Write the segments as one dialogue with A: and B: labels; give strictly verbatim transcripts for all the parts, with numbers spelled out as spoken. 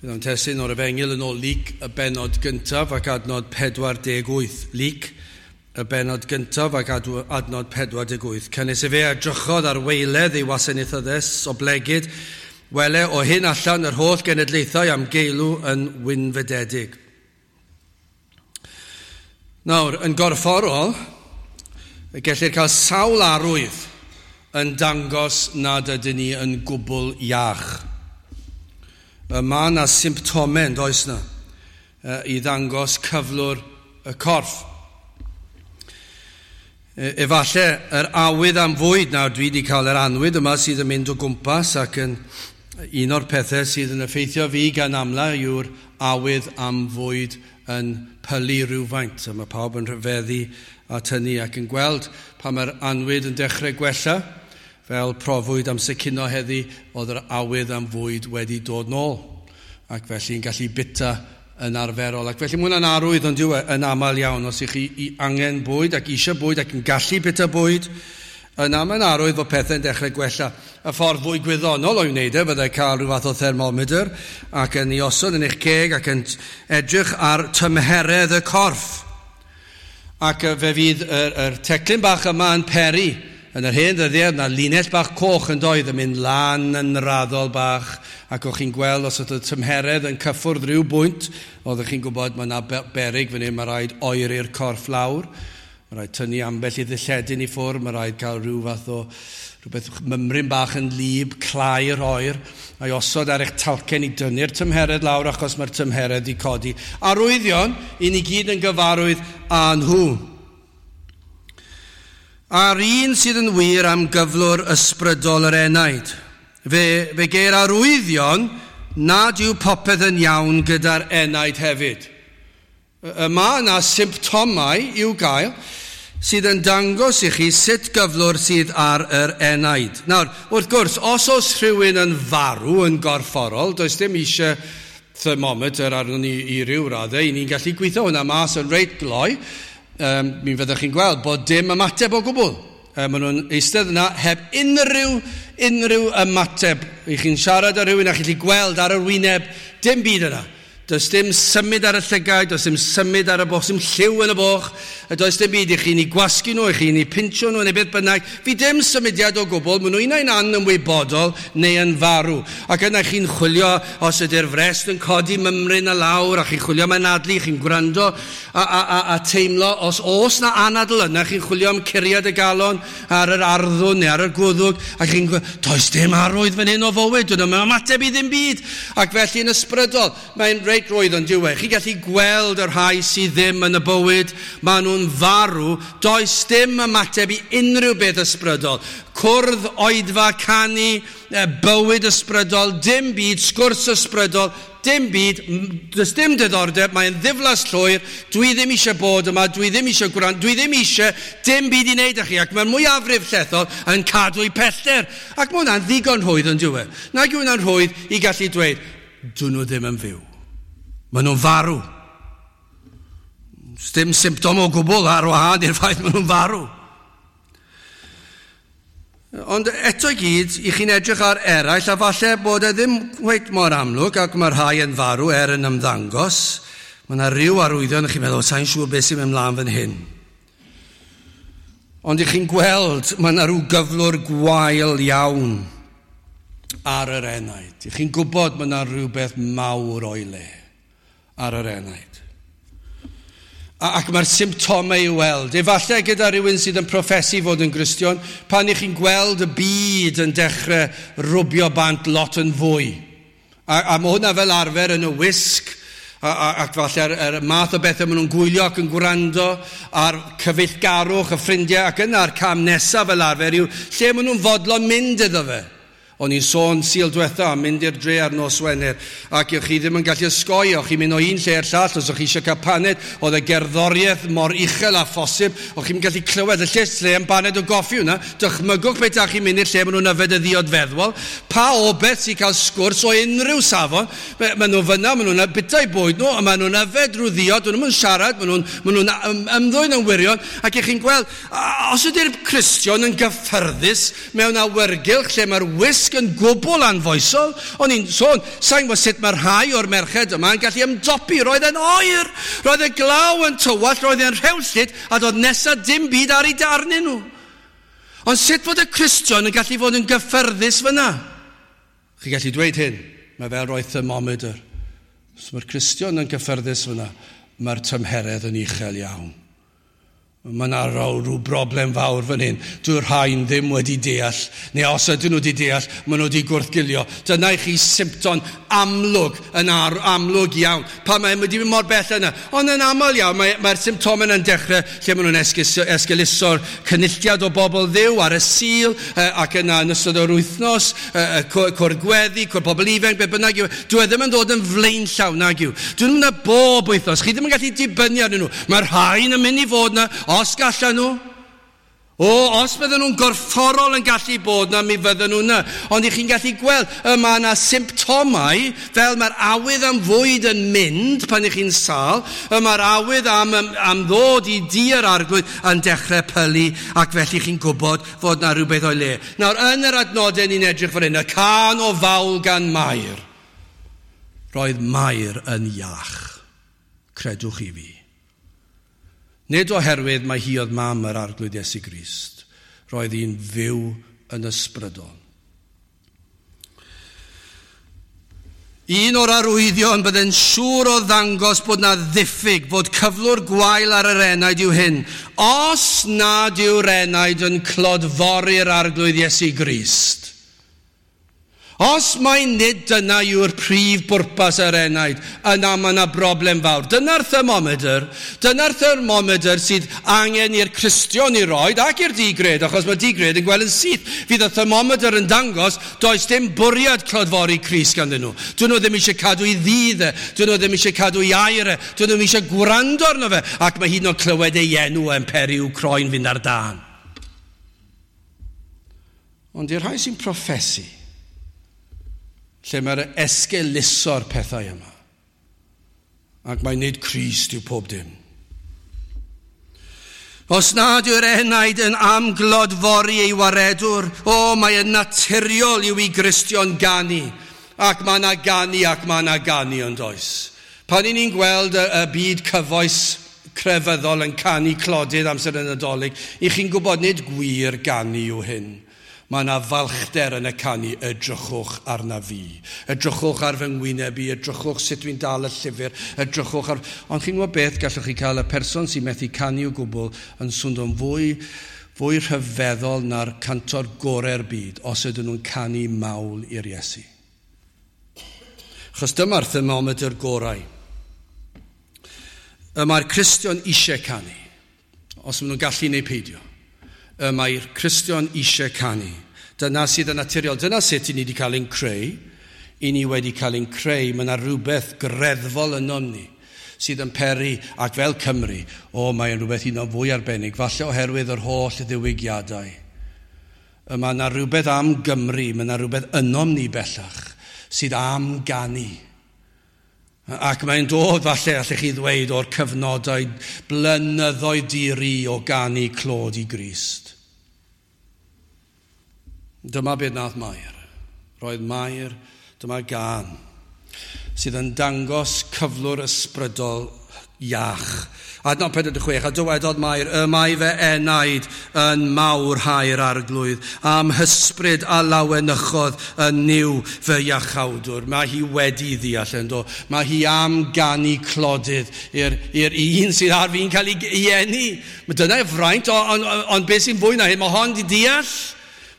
A: Bydd o'n testun o'r Efengyl yn ôl Luc y bennod gyntaf ac adnod pedwar deg wyth. Luc y bennod gyntaf ac adnod pedwar deg wyth. Canys efe edrychodd ar waeledd ei wasanaethyddes oblegid, wele o hyn allan yr holl genedlaethau am geilw yn wynfydedig. Nawr, yn gorfforol, gellir cael sawl arwydd yn dangos nad ydyn ni yn gwbl iach. Mae yna symptomau, yn does na, i ddangos cyflwr y corff. Efallai yr awydd am fwyd, nawr dwi wedi cael yr anwyd yma sydd yn mynd o gwmpas ac yn un o'r pethau sydd yn effeithio fi gan amla yw'r awydd am fwyd yn pylu rhywfaint. A mae pawb yn rhyfeddu at hynny ac yn gweld pan mae'r anwyd yn dechrau gwella, fel profwyd am secino heddi, oedd yr awydd am fwyd wedi dod nôl. Ac felly yn gallu bita yn arferol. Ac felly mae hwnna'n arwydd ond yw e yn aml iawn. Os ych chi angen bwyd ac eisiau bwyd ac yn gallu bita bwyd, yna mae'n arwydd fod pethau'n dechrau gwella. Y ffordd fwy gwyddonol o'i wneud e fyddai cael rhyw fath o thermometer ac yn ei osod yn eich ceg ac yn edrych ar tymheredd y corff. Ac fe fydd yr, yr teclyn bach yma yn peri. Yn yr hen ddyddiau, yna linell bach coch yn doedd yn mynd lan yn raddol bach, ac o'ch chi'n gweld os oedd y tymheredd yn cyffwrdd rhyw bwynt, oeddech chi'n gwybod mae yna beryg fan hyn, mae rhaid oeri'r corff lawr, mae rhaid tynnu ambell i ddilledyn i ffwrdd, mae rhaid cael rhyw fath o rhywbeth mymryn bach yn lib, clai'r oer, a'i osod ar eich talcen i dynnu'r tymheredd lawr achos mae'r tymheredd i codi. Arwyddion, i ni gyd yn gyfarwydd â nhw. A'r un sydd yn wir am gyflwr ysbrydol yr enaid. Fe, fe geir arwyddion nad yw popeth yn iawn gyda'r enaid hefyd. Y mae yna symptomau i'w gael sydd yn dangos i chi sut gyflwr sydd ar yr enaid. Nawr, wrth gwrs, os oes rhywun yn farw yn gorfforol, does dim eisiau thermometer arnon ni i ryw raddau, i ni'n gallu gweithio hwnna mas yn reit gloi. Um, mi fyddwch chi'n gweld bod dim ymateb o gwbl. Um, maen nhw'n eistedd yna heb unrhyw, unrhyw ymateb. I chi'n siarad â rhywun a chi'n gallu gweld ar yr wyneb, dim byd yna. Does dim symud ar y llygaid, does dim symud ar y boch, dim lliw yn y boch, does dim byd i chi'n ei gwasgu nhw, i chi'n ei pincho nhw, neu beth bynnag. Fi dim symudiad o gwbl, maen nhw unai'n anymwybodol neu yn farw. Ac yna chi'n chwilio os ydy'r frest yn codi mymryn a lawr, a chi'n chwilio am anadlu, chi'n gwrando a, a, a, a teimlo, os oes na anadl yna, chi'n chwilio am curiad y galon ar yr arddwn neu ar y gwddwg, a chi'n gweud, does dim arwydd fan hyn o fywyd, dyn nhw'n ymateb i ddim byd. Ac felly yn ysbrydol, mae'n reit roedd yn diwedd. Chi'n gallu gweld y rhai sydd ddim yn y bywyd, maen nhw'n farw, does dim ymateb i unrhyw beth ysbrydol. Cwrdd, oedfa, canu, bywyd ysbrydol, dim byd, sgwrs ysbrydol, dim byd, does dim diddordeb, mae'n ddiflas llwyr, dwi ddim eisiau bod yma, dwi ddim eisiau gwrando, dwi ddim eisiau dim byd i wneud â chi, ac mae'r mwyafrif llethol yn cadw i pellter. Ac mae hwnna'n ddigon rhwydd yn diwedd. Nag yw hwnna'n rhwydd i gallu dweud, dyn nhw ddim yn fyw. Maen nhw'n farw. Dim symptom o gwbl ar wahân i'r ffaith maen nhw'n farw. Ond eto i gyd, i chi'n edrych ar eraill, a falle bod e ddim cweit mor amlwg, ac mae rhai yn farw er yn ymddangos. Mae yna ryw arwyddion, chi'n meddwl, sa'n siŵr beth sy'n mynd mlaen fan hyn. Ond i chi'n gweld, mae yna rhyw gyflwr gwael iawn ar yr enaid. I chi'n gwybod mae yna rhywbeth mawr o'i le ar yr enaid. Ac mae'r symptomau i'w weld. Efallai gyda rhywun sydd yn proffesu fod yn Gristion, pan i chi'n gweld y byd yn dechrau rwbio bant lot yn fwy. A, a mae hwnna fel arfer yn y wisg, a, a, ac falle'r er math o bethau maen nhw'n gwylio ac yn gwrando ar cyfeillgarwch y ffrindiau, ac yna'r cam nesaf fel arfer yw lle maen nhw'n fodlon mynd iddo fe. O'n i'n sôn Sul diwetha am mynd i'r dre ar nos Wener, ac o'ch chi ddim yn gallu osgoi, o'ch chi'n mynd o un lle i'r llall, os o'ch chi eisiau cael paned, oedd y gerddoriaeth mor uchel â phosib, o'ch chi'n gallu clywed y lle lle am baned o goffi hwnna, dychmygwch beth â chi'n mynd i'r lle maen nhw'n yfed y ddiod feddwol, pa obeth sy'n cael sgwrs o unrhyw safon, maen nhw fyna, maen nhw'n bwyta'u bwyd nhw, a maen nhw'n yfed drwy ddiod, maen nhw'n siarad, maen nhw'n maen nhw'n ymddwyn yn wirion, ac i'ch chi'n gweld, os ydy'r Cristion yn gyffyrddus mewn awyrgylch lle mae'r wisg wisg yn gwbl anfoesol. O'n i'n sôn, sa'n gwybod sut mae rhai o'r merched yma yn gallu ymdopi. Roedd e'n oer, roedd y glaw yn tywallt, roedd e'n rhewllyd, a doedd nesaf dim byd ar ei darnyn nhw. Ond sut fod y Cristion yn gallu fod yn gyffyrddus fyna? Chi'n gallu dweud hyn, mae fel rhoi thermometer. Os mae'r Cristion yn gyffyrddus fyna, mae'r tymheredd yn uchel iawn. Mae yna rhyw broblem fawr fan hyn. Dyw'r rhain ddim wedi deall, neu os ydyn nhw wedi deall, maen nhw wedi gwrthgilio. Dyna i chi symptom amlwg, yn ar, amlwg iawn. Pa mae wedi mynd mor bell yna. Ond yn aml iawn, mae'r mae symptomau yn dechrau lle maen nhw'n esgeuluso'r cynulliad o bobl Dduw ar y Sul, ac yna yn ystod yr wythnos, cwr gweddi, cwr pobl ifanc, be bynnag yw. Dwi e ddim yn dod yn flaenllaw nag yw. Dwi ddim yna bob wythnos. Chi ddim yn gallu dibynnu arnyn nhw. Mae'r rhain yn mynd i fod yna, os gallan nhw. O, os bydden nhw'n gorfforol yn gallu bod na, mi fydden nhw na. Ond i chi'n gallu gweld, y mae yna symptomau, fel mae'r awydd am fwyd yn mynd pan i chi'n sâl, y mae'r awydd am, am, am ddod i dŷ'r Arglwydd yn dechrau pylu, ac felly chi'n gwybod fod na rhywbeth o'i le. Nawr, yn yr adnodau ni'n edrych fan hyn, y cân o fawl gan Mair. Roedd Mair yn iach, credwch i fi. Nid oherwydd mae hi oedd mam yr Arglwydd Iesu Grist. Roedd hi'n fyw yn ysbrydol. Un o'r arwyddion byddai'n siŵr o ddangos bod na ddiffyg, bod cyflwr gwael ar yr enaid yw hyn. Os nad yw'r enaid yn clodfori'r Arglwydd Iesu Grist, os mai nid dyna yw'r prif bwrpas yr enaid, yna mae yna broblem fawr. Dyna'r thermometer, dyna'r thermometer sydd angen i'r Cristion i roed ac i'r digred, achos mae digred yn gweld yn syth. Fydd y thermometer yn dangos, does dim bwriad clodfori Crist ganddyn nhw. Dyn nhw ddim eisiau cadw i ddydd e, dyn nhw ddim eisiau cadw i air e, dyn nhw ddim eisiau gwrando arno fe, ac mae hyd yn oed clywed ei enw yn peri i'w croen fynd ar dân. Ond i'r rhai sy'n proffesu, lle mae'r esgeuluso'r pethau yma. Ac mae nid Crist yw pob dim. Os nad yw'r enaid yn amglodfori ei waredwr, o, mae yn naturiol yw i Gristion ganu. Ac mae yna ganu, ac mae yna ganu yn does. Pan i ni'n gweld y, y byd cyfoes crefyddol yn canu clodydd amser y Nadolig, i chi'n gwybod nid gwir ganu yw hyn. Mae yna falchder yn y canu, edrychwch arna fi. Edrychwch ar fy ngwyneb i, edrychwch sut dwi'n dal y llyfr, edrychwch ar... Ond chi'n gwybod beth, gallwch chi cael y person sy'n methu canu o gwbl yn swndo'n fwy, fwy rhyfeddol na'r cantor gorau'r byd os ydyn nhw'n canu mawl i'r Iesu. Achos dyma'r thermometer gorau. Y mae'r Cristion eisiau canu, os maen nhw'n gallu neu peidio. Y mae'r Cristion eisiau canu. Dyna sydd yn naturiol. Dyna sut i ni wedi cael ein creu. I ni wedi cael ein creu. Mae yna rhywbeth greddfol ynom ni sydd yn peri, ac fel Cymru, o, mae'n rhywbeth un o fwy arbennig, falle oherwydd yr holl ddiwygiadau. Y mae yna rhywbeth am Gymru, mae yna rhywbeth ynom ni bellach sydd am ganu. Ac mae'n dod, falle, allech chi ddweud, o'r cyfnodau blynyddoedd di-ri o ganu clod i Grist. Dyma beth nath Mair. Roedd Mair, dyma gân, sydd yn dangos cyflwr ysbrydol iach. Adnod pedwar deg chwech, a dywedodd Mair, y mae fe enaid yn mawrhau'r Arglwydd, am hysbryd a lawenychodd yn Nuw fy iachawdwr. Mae hi wedi ddeall yn do. Mae hi am ganu clodydd i'r, i'r un sydd ar fi'n cael ei, ei eni. Mae dyna ei fraint, ond on, on, on beth sy'n fwy na hyn, mae hon wedi deall.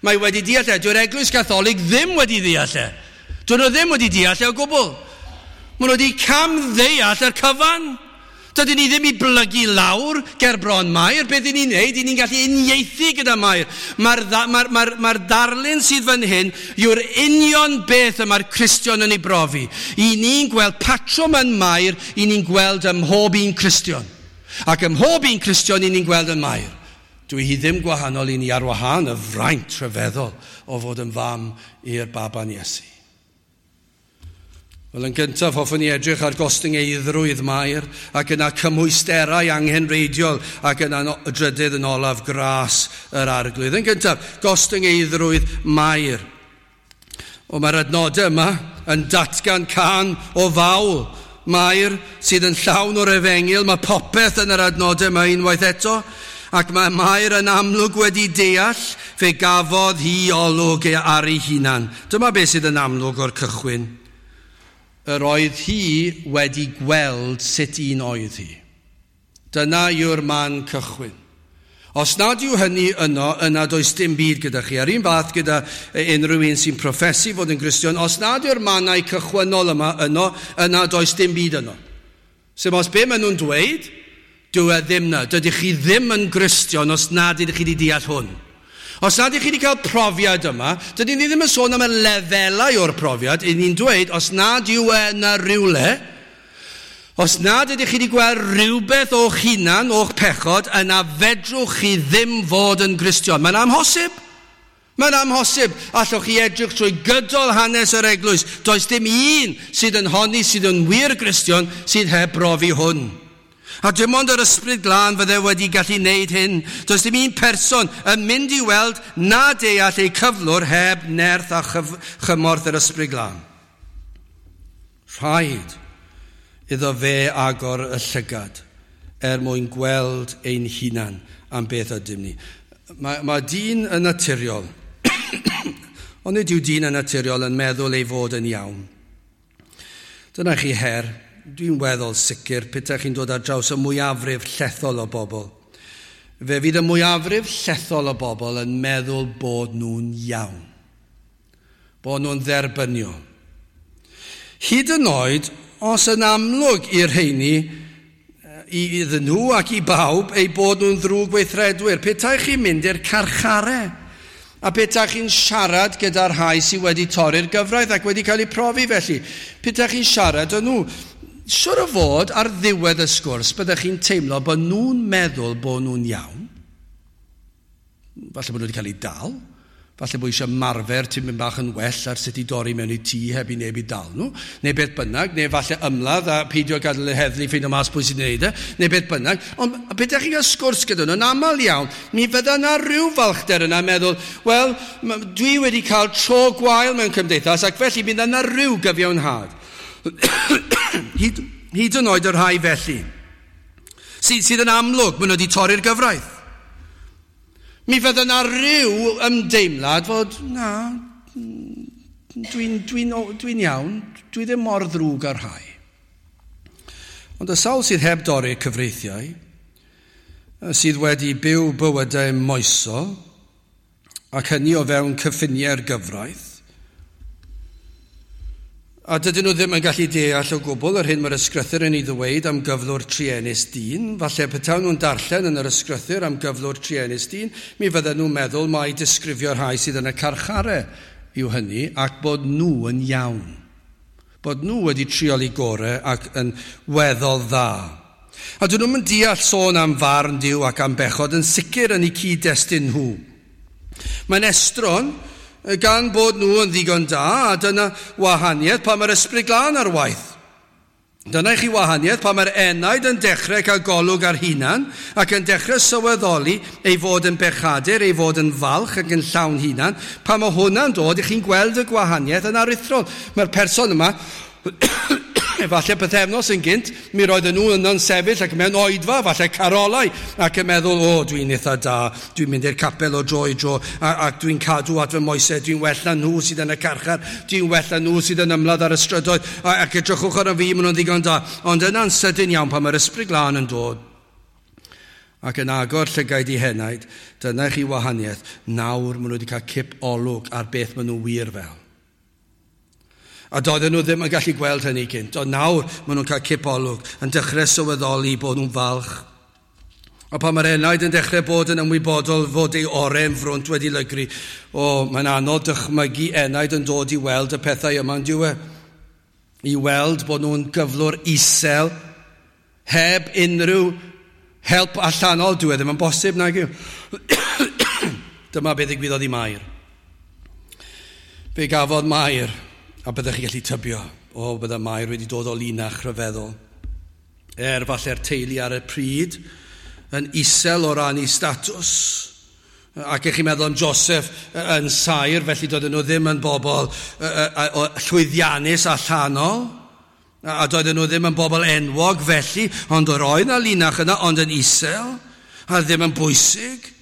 A: Mae wedi deall e. Dyw'r Eglwys Gatholig ddim wedi deall e. Dyn nhw ddim wedi deall e o gwbl. Maen nhw wedi camddeall yr cyfan. Dydyn ni ddim i blygu lawr ger bron Mair. Beth ni'n neud, ni'n gallu uniaethu gyda Mair. Mae'r mae'r, mae'r, mae'r darlun sydd fan hyn yw'r union beth y mae'r Cristion yn ei brofi. I ni'n gweld patrwm yn Mair, i ni'n gweld ym mhob un Cristion. Ac ym mhob un Cristion i ni'n gweld yn Mair. Dwi hi ddim gwahanol i ni ar wahân y fraint rhyfeddol o fod yn fam i'r baban Iesu. Wel, yn gyntaf, hoffwn i edrych ar gostyngeiddrwydd Mair, ac yna cymhwysterau anghenreidiol, ac yna y drydydd yn olaf gras yr Arglwydd. Yn gyntaf, gostyngeiddrwydd Mair. O, mae'r adnodau yma yn datgan cân o fawl. Mair sydd yn llawn o'r efengyl, mae popeth yn yr adnodau yma unwaith eto, ac mae Mair yn amlwg wedi deall, fe gafodd hi olwg ar ei hunan. Dyma beth sydd yn amlwg o'r cychwyn. Yr oedd hi wedi gweld sut un oedd hi. Dyna yw'r man cychwyn. Os nad yw hynny yno, yna does dim byd gyda chi. A'r un fath gyda unrhyw un sy'n proffesu fod yn Gristion, os nad yw'r mannau cychwynnol yma yno, yna does dim byd yno. Sef os be maen nhw'n dweud, dyw e ddim na. Dydych chi ddim yn Gristion os nad ydych chi wedi deall hwn. Os nad ydych chi wedi cael profiad yma, dydyn ni ddim yn sôn am y lefelau o'r profiad, y'n ni'n dweud, os nad yw e yna rywle, os nad ydych chi wedi gweld rhywbeth o'ch hunan, o'ch pechod, yna fedrwch chi ddim fod yn Gristion. Mae'n amhosib. Mae'n amhosib. Allwch chi edrych trwy gydol hanes yr eglwys. Does dim un sydd yn honni sydd yn wir Gristion sydd heb brofi hwn. A dim ond yr Ysbryd Glân fydde wedi gallu wneud hyn. Does dim un person yn mynd i weld na deall eu cyflwr heb nerth a chyf- chymorth yr Ysbryd Glân. Rhaid iddo fe agor y llygad er mwyn gweld ein hunan am beth ydym ni. Mae, mae dyn yn naturiol, ond nid yw dyn yn naturiol yn meddwl ei fod yn iawn. Dyna chi her, dwi'n weddol sicr petai chi'n dod ar draws y mwyafrif llethol o bobl. Fe fydd y mwyafrif llethol o bobl yn meddwl bod nhw'n iawn, bod nhw'n dderbyniol. Hyd yn oed, os yn amlwg i'r rheini, iddyn nhw ac i bawb, eu bod nhw'n ddrwg weithredwyr. Petai chi'n mynd i'r carchare, a petai chi'n siarad gyda'r rhai sydd wedi torri'r gyfraith ac wedi cael eu profi felly, petai chi'n siarad â nhw, siwr o fod ar ddiwedd y sgwrs, byddech chi'n teimlo bod nhw'n meddwl bod nhw'n iawn. Falle bod nhw wedi cael eu dal. Falle bod eisiau marfer tipyn bach yn well ar sut i dorri mewn i tŷ heb i neb i dal nhw, neu beth bynnag, neu falle ymladd a peidio gadael y heddlu ffeindio mas pwy sy'n gwneud e, neu beth bynnag. Ond beth ydych chi'n cael sgwrs gyda nhw, yn aml iawn, mi fydda yna rhyw falchder yna meddwl, wel, dwi wedi cael tro gwael mewn cymdeithas, ac felly bydd yna rhyw gyfiawnhad. hyd, hyd yn oed y rhai felly, sydd, sydd yn amlwg, maen nhw wedi torri'r gyfraith. Mi fydda yna rhyw ymdeimlad fod, na, dwi'n dwi dwi iawn, dwi ddim mor ddrwg ar rhai. Ond y sawl sydd heb dorri cyfreithiau, sydd wedi byw bywydau moesol, ac hynny o fewn cyffiniau'r gyfraith, a dydyn nhw ddim yn gallu deall o gwbl yr hyn mae'r ysgrythur yn ei ddweud am gyflwr truenus dyn. Falle petawn nhw'n darllen yn yr ysgrythur am gyflwr truenus dyn, mi fydden nhw'n meddwl mai disgrifio'r rhai sydd yn y carchare yw hynny, ac bod nhw yn iawn. Bod nhw wedi trial eu gorau ac yn weddol dda. A dyn nhw'n deall sôn am farn Duw ac am bechod yn sicr yn eu cyd-destun nhw. Mae'n estron gan bod nhw yn ddigon da, a dyna wahaniaeth pan mae'r Ysbryd Glân ar waith. Dyna i chi wahaniaeth pan mae'r enaid yn dechrau cael golwg ar hunan ac yn dechrau sylweddoli ei fod yn bechadur, ei fod yn falch ac yn llawn hunan. Pan mae hwnna'n dod, i chi'n gweld y gwahaniaeth yn aruthrol. Mae'r person yma, efallai pythefnos yn gynt, mi roedden nhw yno'n sefyll ac mewn oedfa, falle carolau, ac yn meddwl, o, dwi'n eitha da, dwi'n mynd i'r capel o dro i dro, a, ac dwi'n cadw at fy moesau, dwi'n well na nhw sydd yn y carchar, dwi'n well na nhw sydd yn ymladd ar y strydoedd, a, ac edrychwch ar y fi, maen nhw'n ddigon da. Ond yna'n sydyn iawn pan mae'r Ysbryd Glân yn dod, ac yn agor llygaid i henaid, dyna chi wahaniaeth, nawr maen nhw wedi cael cip olwg ar beth maen nhw wir fel. A doedden nhw ddim yn gallu gweld hynny gynt, ond nawr maen nhw'n cael cip olwg, yn dechrau sylweddoli bod nhw'n falch. A pan mae'r enaid yn dechrau bod yn ymwybodol fod ei oren frwnt wedi lygru, o, mae'n anodd dychmygu enaid yn dod i weld y pethau yma, yn dyw e? I weld bod nhw'n gyflwr isel, heb unrhyw help allanol, dyw e ddim yn bosib, nag yw. Dyma beth ddigwyddodd i Mair. Fe gafodd Mair, a byddech chi gallu tybio, o, bydde Mair wedi dod o linach rhyfeddol. Er falle'r teulu ar y pryd, yn isel o ran ei statws, Ac ych chi'n meddwl am Joseph yn saer, felly doedden nhw ddim yn bobl llwyddiannus allanol. A doedden nhw ddim yn bobl enwog felly, ond yr oedd 'na linach yna, ond yn isel, a ddim yn bwysig.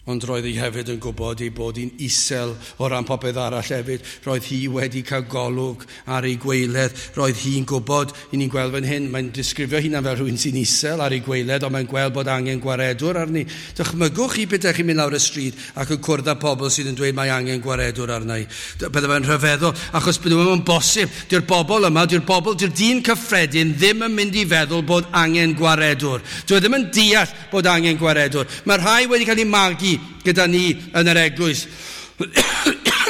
A: Ond roedd hi hefyd yn gwybod ei bod hi'n isel o ran popeth arall hefyd. Roedd hi wedi cael golwg ar ei gweiledd. Roedd hi'n gwybod, i ni'n gweld fan hyn, mae'n disgrifio hunan fel rhywun sy'n isel ar ei gweiledd, ond mae'n gweld bod angen gwaredwr arni. Dychmygwch chi beth chi'n mynd lawr y stryd ac yn cwrdd â pobl sydd yn dweud mae angen gwaredwr arna i. Bydde fe'n rhyfeddol, achos bydde fe'n bosib. Dyw'r bobl yma, dyw'r bobl, dyw'r dyn cyffredin ddim yn mynd i feddwl bod angen gwaredwr. Dyw e ddim yn deall bod angen gwaredwr. Mae rhai wedi cael eu magu gyda ni yn yr eglwys.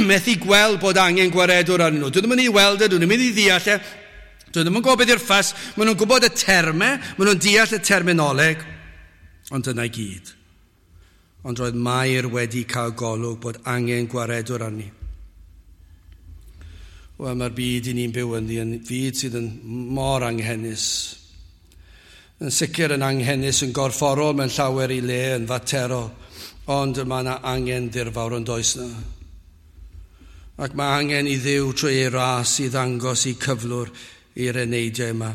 A: Methu gweld bod angen gwaredwr arnyn nhw. Dwi ddim yn ei weld e, dwi ddim yn mynd i ddeall e. Dwi ddim yn gwybod beth yw'r ffas. Maen nhw'n gwybod y termau, maen nhw'n deall y terminoleg. Ond dyna i gyd. Ond roedd Mair wedi cael golwg bod angen gwaredwr arni. Wel, mae'r byd i ni'n byw ynddi yn fyd sydd yn mor anghenus. Yn sicr yn anghenus yn gorfforol mewn llawer i le, yn faterol. Ond mae yna angen dirfawr yn does na. Ac mae angen i Dduw trwy ei ras i ddangos i cyflwr i'r eneidiau yma.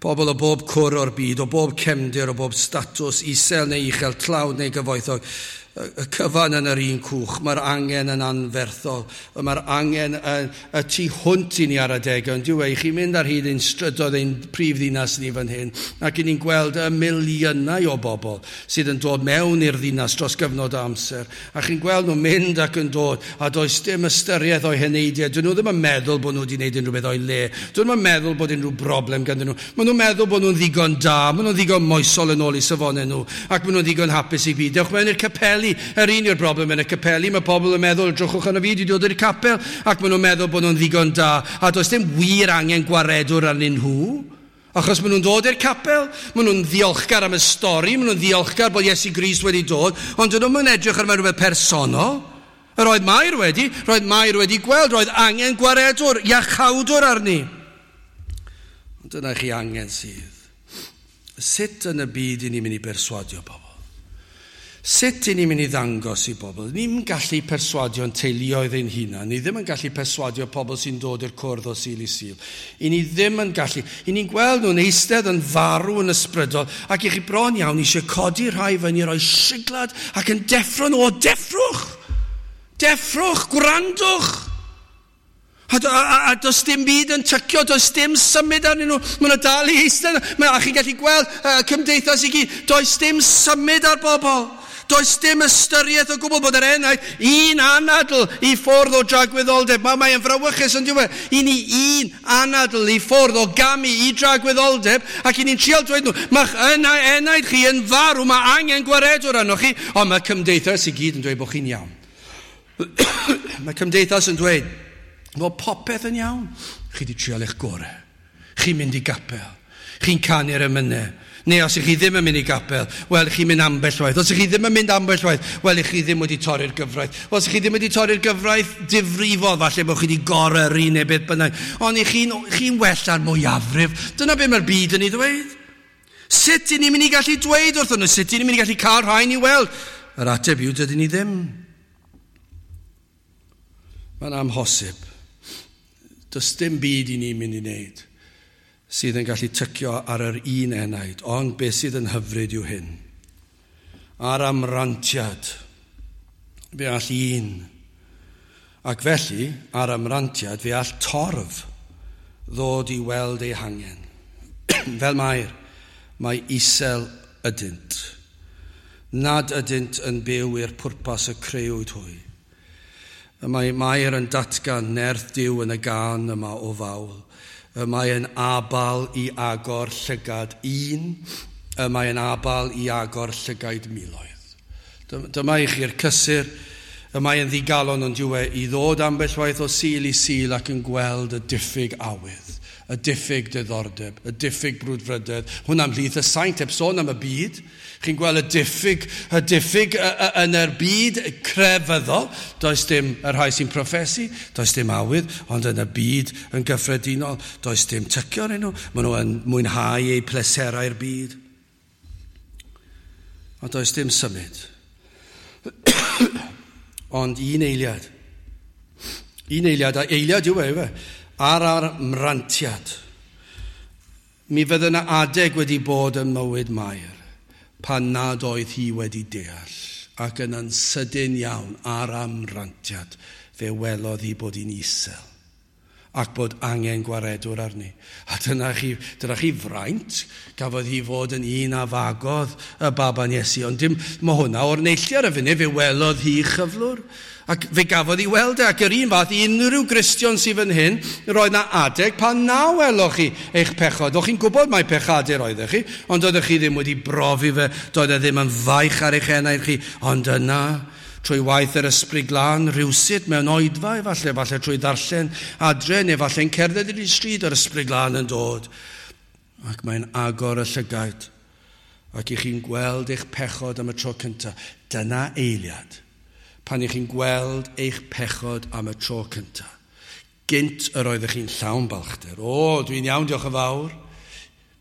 A: Pobl o bob cwr o'r byd, o bob cefndir, o bob statws, isel neu uchel, tlawd neu gyfoethog, y cyfan yn yr un cwch. Mae'r angen yn anferthol. Mae'r angen y, y tu hwnt i ni ar adegau. Ond dyw e, i chi mynd ar hyd ein strydoedd ein prif ddinas ni fan hyn, ac i ni'n gweld y miliynau o bobl sydd yn dod mewn i'r ddinas dros gyfnod o amser. A chi'n gweld nhw'n mynd ac yn dod, a does dim ystyriaeth o'i heneidiau. Dyn nhw ddim yn meddwl bod nhw wedi gwneud unrhyw beth o'i le. Dyn nhw'n ddim yn meddwl bod unrhyw broblem ganddyn nhw. Maen nhw'n meddwl bod nhw'n ddigon da, maen nhw'n ddigon moesol yn ôl i safonau nhw, ac maen nhw'n ddigon hapus i byd. Dewch mewn i'r capeli. Yr un yw'r broblem yn y capeli, mae pobl yn meddwl, drychwch arno fi, dwi wedi dod i'r capel, ac maen nhw'n meddwl bod nhw'n ddigon da, a does dim wir angen gwaredwr arnyn nhw, achos maen nhw'n dod i'r capel, maen nhw'n ddiolchgar am y stori, maen nhw'n ddiolchgar bod Iesu Grist wedi dod, ond dyn nhw'n edrych ar rhywbeth personol. Yr oedd Mair wedi, roedd Mair wedi gweld, roedd angen gwaredwr, iachawdwr arni. Ond dyna chi angen sydd. Sut yn y byd i ni'n mynd i berswadio pobl? Sut i ni'n mynd i ddangos i bobl? Ni'n gallu perswadio'n teuluoedd ein hunan. Ni ddim yn gallu perswadio pobl sy'n dod i'r cwrdd o Sul i Sul. I ni ddim yn gallu. I ni'n gweld nhw'n eistedd yn farw yn ysbrydol, ac i chi bron iawn eisiau codi rhai fyny, rhoi siglad ac yn deffro nhw. O, deffrwch! Deffrwch! Gwrandwch! A, a, a, a does dim byd yn tycio, does dim symud arnyn nhw. Maen nhw dal i eistedd. A chi'n gallu gweld uh, cymdeithas i gyd. Does dim symud ar bobl. Does dim ystyriaeth o gwbl bod yr enaid un anadl i ffwrdd o dragwyddoldeb. Mae mae'n frawychus yn diwedd. I ni un anadl i ffwrdd o gamu i dragwyddoldeb, ac i ni'n trial dweud nhw, mae'ch enaid chi yn farw, mae angen gwaredwr arnoch chi, ond mae cymdeithas i gyd yn dweud bod chi'n iawn. Mae cymdeithas yn dweud bod popeth yn iawn. Chi wedi trial eich gorau. Chi'n mynd i gapel. Chi'n canu'r emynau. Neu os ych chi ddim yn mynd i gapel, wel, chi'n mynd ambell waith. Os ych chi ddim yn mynd ambell waith, wel, ych chi ddim wedi torri'r gyfraith. Os ych chi ddim wedi torri'r gyfraith difrifol, falle bod chi wedi goryrru neu beth bynnag. Ond ych chi'n chi well ar mwyafrif. Dyna beth mae'r byd yn ei ddweud. Sut i ni'n mynd i gallu dweud wrthyn nhw? Sut i ni'n mynd i gallu cael rhain i weld? Yr ateb yw, dydyn ni ddim. Mae'n amhosib. Does dim byd i ni'n mynd i wneud sydd yn gallu tycio ar yr un enaid, ond beth sydd yn hyfryd yw hyn. Ar amrantiad, fe all un. Ac felly, ar amrantiad, fe all torf ddod i weld ei hangen. Fel Mair, mae isel ydynt. Nad ydynt yn byw i'r pwrpas y creuwyd hwy. Mae Mair yn datgan nerth Duw yn y gân yma o fawl. Mae yn abal i agor llygad un, mae yn abal i agor llygaid miloedd. Dyma i chi'r cysur, y mae yn ddigalon ond yw e i ddod ambell waith o Sul i Sul ac yn gweld y diffyg awydd, y diffyg diddordeb, y diffyg brwdfrydedd. Hwnna ymhlith y saint, heb sôn am y byd. Chi'n gweld y diffyg, y diffyg yn yr byd crefyddol. Does dim y rhai sy'n proffesu, does dim awydd, ond yn y byd yn gyffredinol, does dim tycio arnyn nhw. Maen nhw yn mwynhau eu pleserau'r byd. Ond does dim symud. Ond un eiliad, un eiliad, a eiliad yw e, yw e, ar ar mrantiad. Mi fydde yna adeg wedi bod ym mywyd Mair pan nad oedd hi wedi deall, ac yna'n sydyn iawn ar amrantiad fe welodd hi bod hi'n isel ac bod angen gwaredwr arni. A dyna chi, dyna chi fraint, gafodd hi fod yn un a fagodd y baban Iesu. Ond dim, mae hwnna o'r neilltu ar y funud, fe welodd hi chyflwr. Ac fe gafodd hi weld e, ac yr un fath i unrhyw Gristion sydd fan hyn, roedd na adeg pan na weloch chi eich pechod. O'ch chi'n gwybod mai pechadur oeddech chi, ond oeddech chi ddim wedi brofi fe, doedd e ddim yn faich ar eich enaid chi, ond yna, trwy waith yr Ysbryd Glân, rhywsut mewn oedfa, efallai, efallai trwy ddarllen adre, neu efallai'n cerdded i'r stryd, yr Ysbryd Glân yn dod. Ac mae'n agor y llygaid, ac i chi'n gweld eich pechod am y tro cyntaf. Dyna eiliad, pan i chi'n gweld eich pechod am y tro cyntaf. Gynt yr oeddech chi'n llawn balchder. O, dwi'n iawn, diolch yn fawr.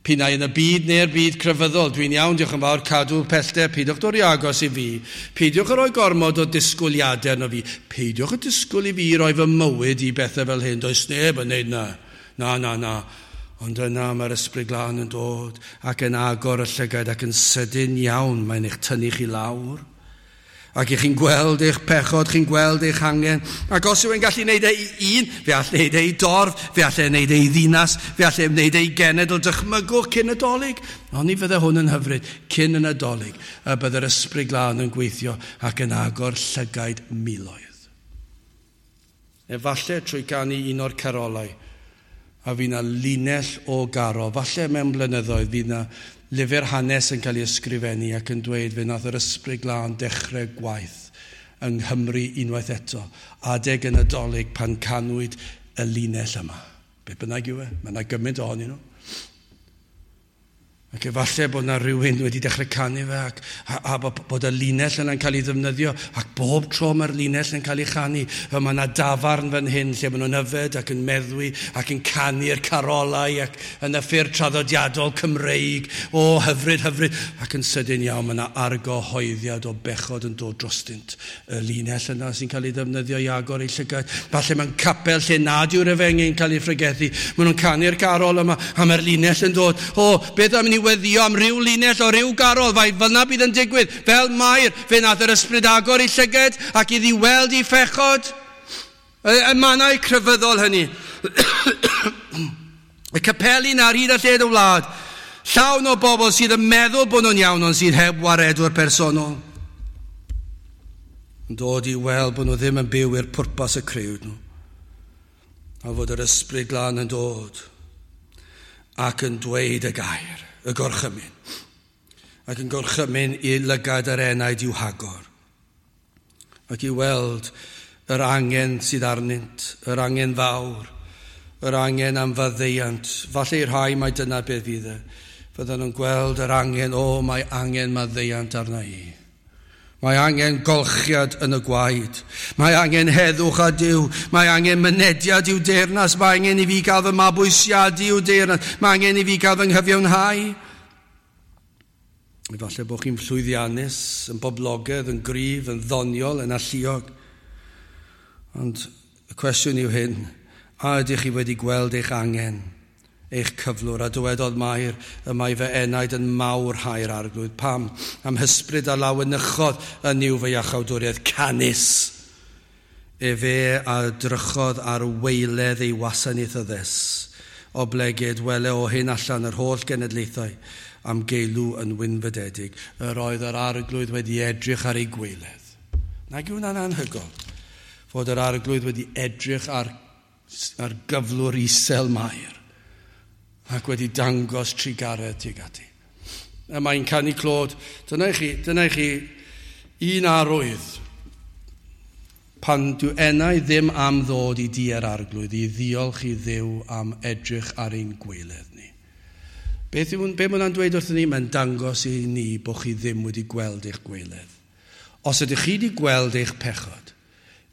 A: Pinnau yn y byd neu'r byd crefyddol, dwi'n iawn, diolch yn fawr, cadw pellter, peidiwch dod i agos i fi. Peidiwch yn rhoi gormod o disgwyliadau arno fi. Peidiwch y disgwyl i fi roi fy mywyd i bethau fel hyn. Does neb yn neud na. Na, na, na. Ond yna mae'r Ysbryd Glân yn dod ac yn agor y llygaid ac yn sydyn iawn mae'n eich tynnu chi lawr. Ac i chi'n gweld eich pechod, chi'n gweld eich angen. Ac os yw'n gallu gwneud e i un, fe all wneud e i dorf, fe all e wneud e i ddinas, fe all e wneud e i genedl. Dychmygwch cyn y Dolig. Ond ni fydde hwn yn hyfryd, cyn y Nadolig, y bydde'r Ysbryd Glân yn gweithio ac yn agor llygaid miloedd. Efallai trwy ganu un o'r carolau, a fydd na linell o garo, falle mewn blynyddoedd fydd na lyfr hanes yn cael ei ysgrifennu ac yn dweud fe nath yr Ysbryd Glân dechrau gwaith yng Nghymru unwaith eto, adeg y Nadolig pan canwyd y linell yma. Be bynnag yw e, mae yna gymaint ohonyn nhw. Ac efallai bod yna rhywun wedi dechrau canu fe ac, a, a bod y linell yna'n cael ei ddefnyddio ac bob tro mae'r linell yn cael ei chanu. Mae yna dafarn fan hyn lle maen nhw'n yfed ac yn meddwi ac yn canu'r carolau ac yn y ffyrdd traddodiadol Cymreig. O, hyfryd, hyfryd. Ac yn sydyn iawn mae yna argyhoeddiad o bechod yn dod drostynt. Y linell yna sy'n cael ei ddefnyddio i agor ei llygaid. Falle mewn capel lle nad yw'r efengyl yn cael ei phregethu. Maen nhw'n canu'r carol yma a mae'r linell yn dod. O, beth am ni weddio am ryw linell o ryw garol, fai fyna bydd yn digwydd, fel Mair, fe nath yr Ysbryd agor ei llyged ac iddi weld ei phechod. Y, y mannau crefyddol hynny. Y capeli na ar hyd a lled y wlad, llawn o bobl sydd yn meddwl bod nhw'n iawn, ond sydd heb waredwr personol. Yn dod i weld bod nhw ddim yn byw i'r pwrpas y crëwyd nhw. A fod yr Ysbryd Glân yn dod ac yn dweud y gair, y gorchymyn, ac yn gorchymyn i lygad yr enaid i'w hagor, ac i weld yr angen sydd arnynt, yr angen fawr, yr angen am faddeuant. Falle i'r rhai mai dyna beth fydd e. Fyddan nhw'n gweld yr angen, o, mae angen maddeuant arna i. Mae angen golchiad yn y gwaed. Mae angen heddwch a Duw. Mae angen mynediad i'w deyrnas. Mae angen i fi gael fy mabwysiadu i'w deyrnas. Mae angen i fi gael fy nghyfiawnhau. Efallai bod chi'n llwyddiannus, yn boblogaidd, yn gryf, yn ddoniol, yn alluog. Ond y cwestiwn yw hyn, a ydych chi wedi gweld eich angen, eich cyflwr, a dywedodd Mair, y mae fy enaid yn mawrhau'r Arglwydd. Pam? Am hysbryd a lawenychodd yn Nuw fy iachawdwriaeth, canys. Efe a drychodd ar waeledd ei wasanaethyddes, oblegid wele o hyn allan yr holl genedlaethau am geilw yn wynfydedig. Yr oedd yr Arglwydd wedi edrych ar ei gwaeledd. Nag yw hwnna'n anhygoel? Fod yr Arglwydd wedi edrych ar, ar gyflwr isel Mair ac wedi dangos trugaredd tuag ati. A mae'n canu clod. Dyna i chi, dyna i chi un arwydd pan dyw enau ddim am ddod i di yr Arglwydd, i ddiolch i Dduw am edrych ar ein gwaeledd ni. Beth yw, be mae hwnna'n dweud wrthyn ni? Mae'n dangos i ni bod chi ddim wedi gweld eich gwaeledd. Os ydych chi wedi gweld eich pechod,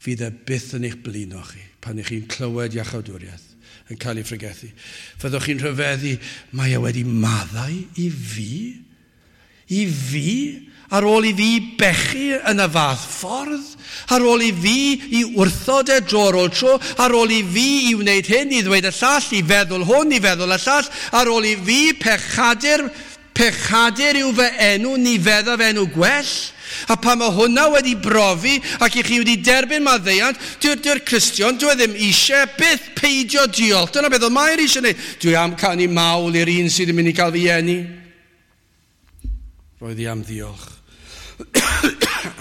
A: fydd e byth yn eich blino chi pan ych chi'n clywed iachawdwriaeth yn cael ei phregethu. Fyddwch chi'n rhyfeddu, mae e wedi maddau i fi? I fi? Ar ôl i fi bechu yn y fath ffordd, ar ôl i fi i wrthod e dro ar ôl tro, ar ôl i fi i wneud hyn, i ddweud y llall, i feddwl hwn, i feddwl y llall, ar ôl i fi pechadur, pechadur yw fy enw, ni feddaf enw gwell. A pan mae hwnna wedi brofi ac i chi wedi derbyn maddeuant, dyw'r dyw Cristion, dyw e ddim eisiau byth peidio diolch. Dyna beth oedd Mair eisiau gwneud. Dwi am canu mawl i'r un sydd yn mynd i gael fi eni. Roedd hi am ddiolch.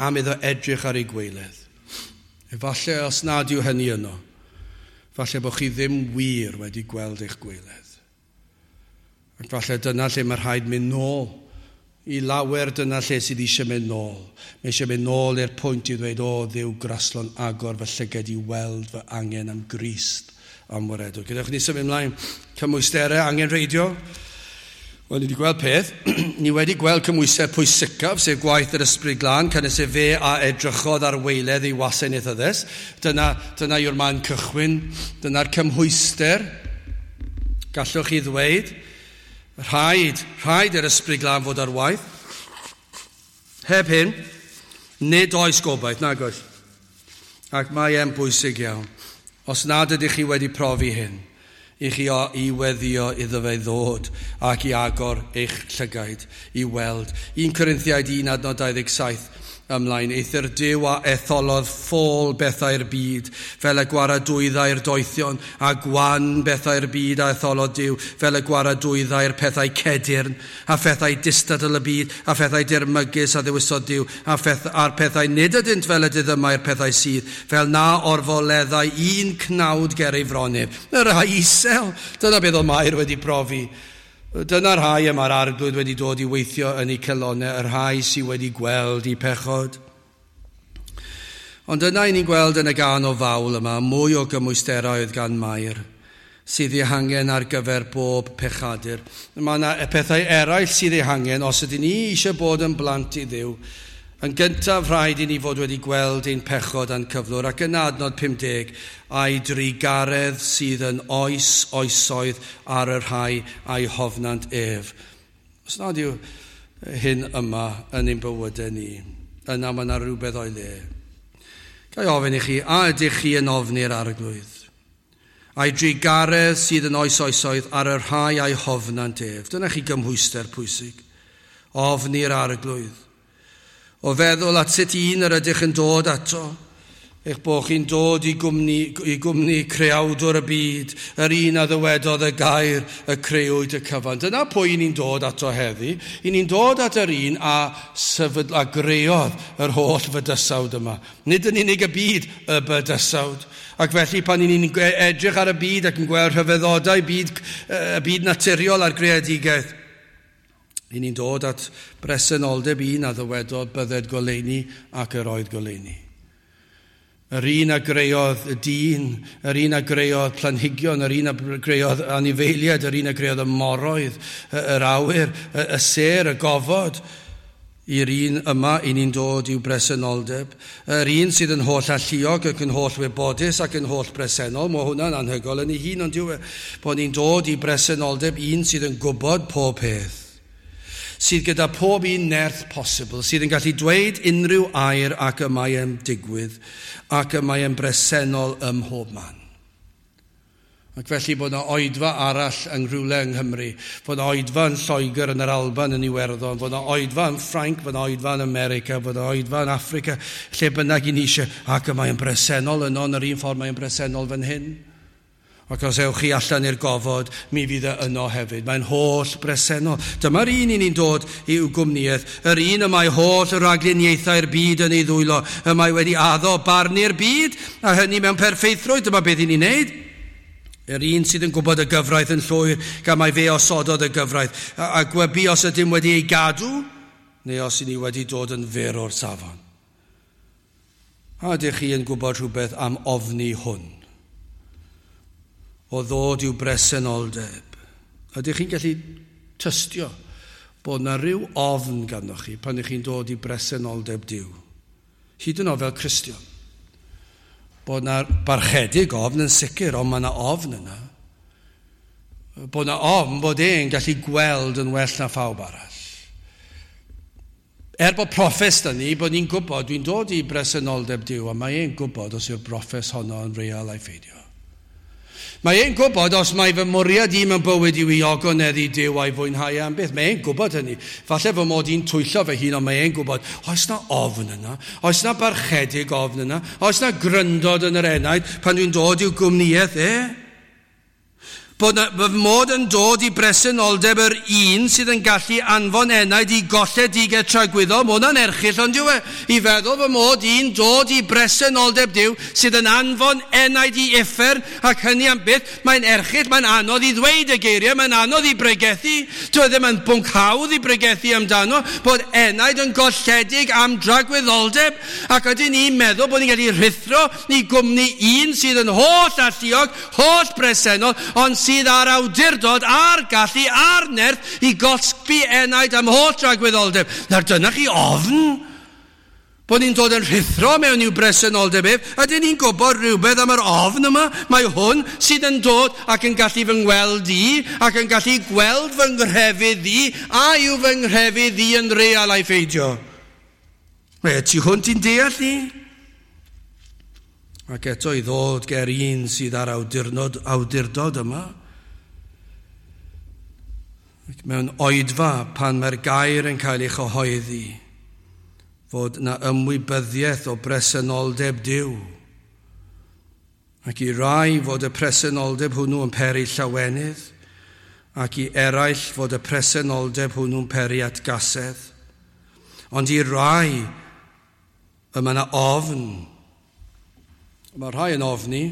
A: Am iddo edrych ar ei gwaeledd. Efallai os nad yw hynny yno, falle bod chi ddim wir wedi gweld eich gwaeledd. Ac falle dyna lle mae rhaid mynd nôl. I lawer dyna lle sydd eisiau mynd nôl. Mae eisiau mynd nôl i'r pwynt i ddweud, o Dduw graslon agor fy llygad i weld fy angen am Grist am waredwr. Gadewch ni symud ymlaen. Cymwysterau angenrheidiol. Wel, ni wedi gweld peth. Ni wedi gweld cymhwyster pwysicaf, sef gwaith yr Ysbryd Glân, canys efe a edrychodd ar waeledd ei wasanaethyddes. Dyna, dyna yw'r man cychwyn. Dyna'r cymhwyster. Gallwch chi ddweud, rhaid, rhaid i'r Ysbryd Glân fod ar waith. Heb hyn, nid oes gobaith, nag oes. Ac mae e'n bwysig iawn. Os nad ydych chi wedi profi hyn, i chi o, i weddio iddo fe ddod ac i agor eich llygaid i weld. Un Corinthiaid un adnod dau ddeg saith ymlaen. Eithr Duw a etholodd ffôl bethau'r byd, fel y gwaradwyddau'r doethion, a gwan bethau'r byd a etholodd Duw, fel y gwaradwyddau'r pethau cedyrn, a phethau distadl y byd, a phethau dirmygus a ddewisodd Duw, a pheth, a'r pethau nid ydynt fel y diddymau'r pethau sydd, fel na orfoleddau un cnawd ger ei fron ef. Y rhai isel, dyna beth oedd Mair wedi profi. Dyna'r rhai y mae'r Arglwydd wedi dod i weithio yn eu calonnau, y rhai sydd wedi gweld eu pechod. Ond yna i ni'n gweld yn y gân o fawl yma, mwy o gymwysterau oedd gan Mair, sydd eu hangen ar gyfer bob pechadur. Mae yna pethau eraill sydd eu hangen os ydyn ni eisiau bod yn blant i Dduw. Yn gyntaf rhaid i ni fod wedi gweld ein pechod a'n cyflwr, ac yn adnod pum deg, a'i drugaredd sydd yn oes oesoedd ar y rhai a'i hofnant ef. Os nad yw hyn yma yn ein bywydau ni, yna mae yna rhywbeth o'i le. Ga i ofyn i chi, a ydych chi yn ofni'r Arglwydd? A'i drugaredd sydd yn oes oesoedd ar y rhai a'i hofnant ef. Dyna chi gymhwyster pwysig. Ofni'r Arglwydd. O feddwl at sut un yr ydych yn dod ato, eich bod chi'n dod i gwmni, i gwmni creawdwr y byd, yr un a ddywedodd y gair y creuwyd y cyfan. Dyna pwy ni'n dod ato heddi. I ni'n dod at yr un a, sefydl, a greodd yr holl fydysawd yma. Nid yn unig y byd, y bydysawd. Ac felly pan ni'n edrych ar y byd ac yn gweld rhyfeddodau byd, y byd naturiol a'r greadigaeth, i ni'n dod at bresenoldeb un a ddywedodd bydded goleuni ac yr oedd goleuni. Yr un a greodd y dyn, yr un a greodd planhigion, yr un a greodd anifeiliaid, yr un a greodd y moroedd, yr awyr, y sêr, y gofod. I'r un yma i ni'n dod i'w bresenoldeb. Yr un sydd yn holl alluog ac yn holl wybodus ac yn holl bresennol, mae hwnna'n anhygoel yn ei hun, ond yw e, bod ni'n dod i bresenoldeb un sydd yn gwybod pob peth, sydd gyda pob un nerth posibl, sydd yn gallu dweud unrhyw air ac y mae e'n digwydd, ac y mae e'n bresennol ym mhob man. Ac felly bod yna oedfa arall yng Nghrwle yng Nghymru, bod yna oedfa yn Lloegr, yn yr Alban, yn Iwerddon, bod yna oedfa yn Ffrainc, bod yna oedfa yn America, bod yna oedfa yn Affrica, lle bynnag i ni eisiau, ac y mae e'n bresennol yno yn yr un ffordd mae e'n bresennol fan hyn. Ac os ewch chi allan i'r gofod, mi fydd e yno hefyd. Mae'n holl bresennol. Dyma'r un i ni'n dod i'w gwmnïaeth. Yr un y mae holl ragluniaethau'r byd yn ei ddwylo. Y mae wedi addo barnu'r byd, a hynny mewn perffeithrwydd. Dyma beth i ni'n neud. Yr un sydd yn gwybod y gyfraith yn llwyr, gan mai fe osododd y gyfraith. A, a gwybu os ydym wedi ei gadw, neu os i ni wedi dod yn fyr o'r safon. A ydych chi yn gwybod rhywbeth am ofni hwn? O ddod i'w bresenoldeb. Ydych chi'n gallu tystio bod yna rhyw ofn ganddoch chi pan ydych chi'n dod i bresenoldeb Duw? Hyd yn oed fel Cristion. Bod yna barchedig ofn yn sicr, ond mae yna ofn yna. Bod yna ofn bod e'n gallu gweld yn well na phawb arall. Er bod proffes da ni, bod ni'n gwybod, dwi'n dod i bresenoldeb Duw, a mae e'n gwybod os yw'r broffes honno yn real ai pheidio. Mae e'n gwybod os mae fy mwriad i mewn bywyd yw i ogoneddu Duw a'i fwynhau am byth. Mae e'n gwybod hynny. Falle fy mod i'n twyllo fy hun, ond mae e'n gwybod, oes na ofn yna? Oes na barchedig ofn yna? Oes na gryndod yn yr enaid pan dwi'n dod i'w gwmnïaeth e? Bod na, fy mod yn dod i bresenoldeb yr un sydd yn gallu anfon enaid i golledigaeth tragwyddol, mae hwnna'n erchyll, ond yw e? I feddwl fy mod i'n dod i bresenoldeb Duw sydd yn anfon enaid i uffern ac hynny am byth, mae'n erchyll, mae'n anodd i ddweud y geiriau, mae'n anodd i bregethu. Dyw e ddim yn bwnc hawdd i bregethu amdano, bod enaid yn golledig am dragwyddoldeb, ac ydyn ni'n meddwl bod ni'n gallu rhuthro i gwmni un sydd yn holl alluog, holl bresennol, ond sydd ar awdurdod, a'r gallu, a'r nerth i gosbi enaid am holl dragwyddoldeb. Nawr dyna chi ofn bod ni'n dod yn rhuthro mewn i'w bresenoldeb ef. Ydyn ni'n gwybod rhywbeth am yr ofn yma? Mae hwn sydd yn dod ac yn gallu fy ngweld i, ac yn gallu gweld fy nghrefydd i, a yw fy nghrefydd i yn real ai pheidio. Mae tu hwnt i'n deall ni. Ac eto i ddod ger un sydd ar awdurdod, awdurdod yma. Ac mewn oedfa pan mae'r gair yn cael ei chyhoeddi, fod na ymwybyddiaeth o bresenoldeb Duw. Ac i rai fod y presenoldeb hwnnw yn peri llawenydd, ac i eraill fod y presenoldeb hwnnw'n peri atgasedd. Ond i rai y mae yna ofn. Mae rhai yn ofni.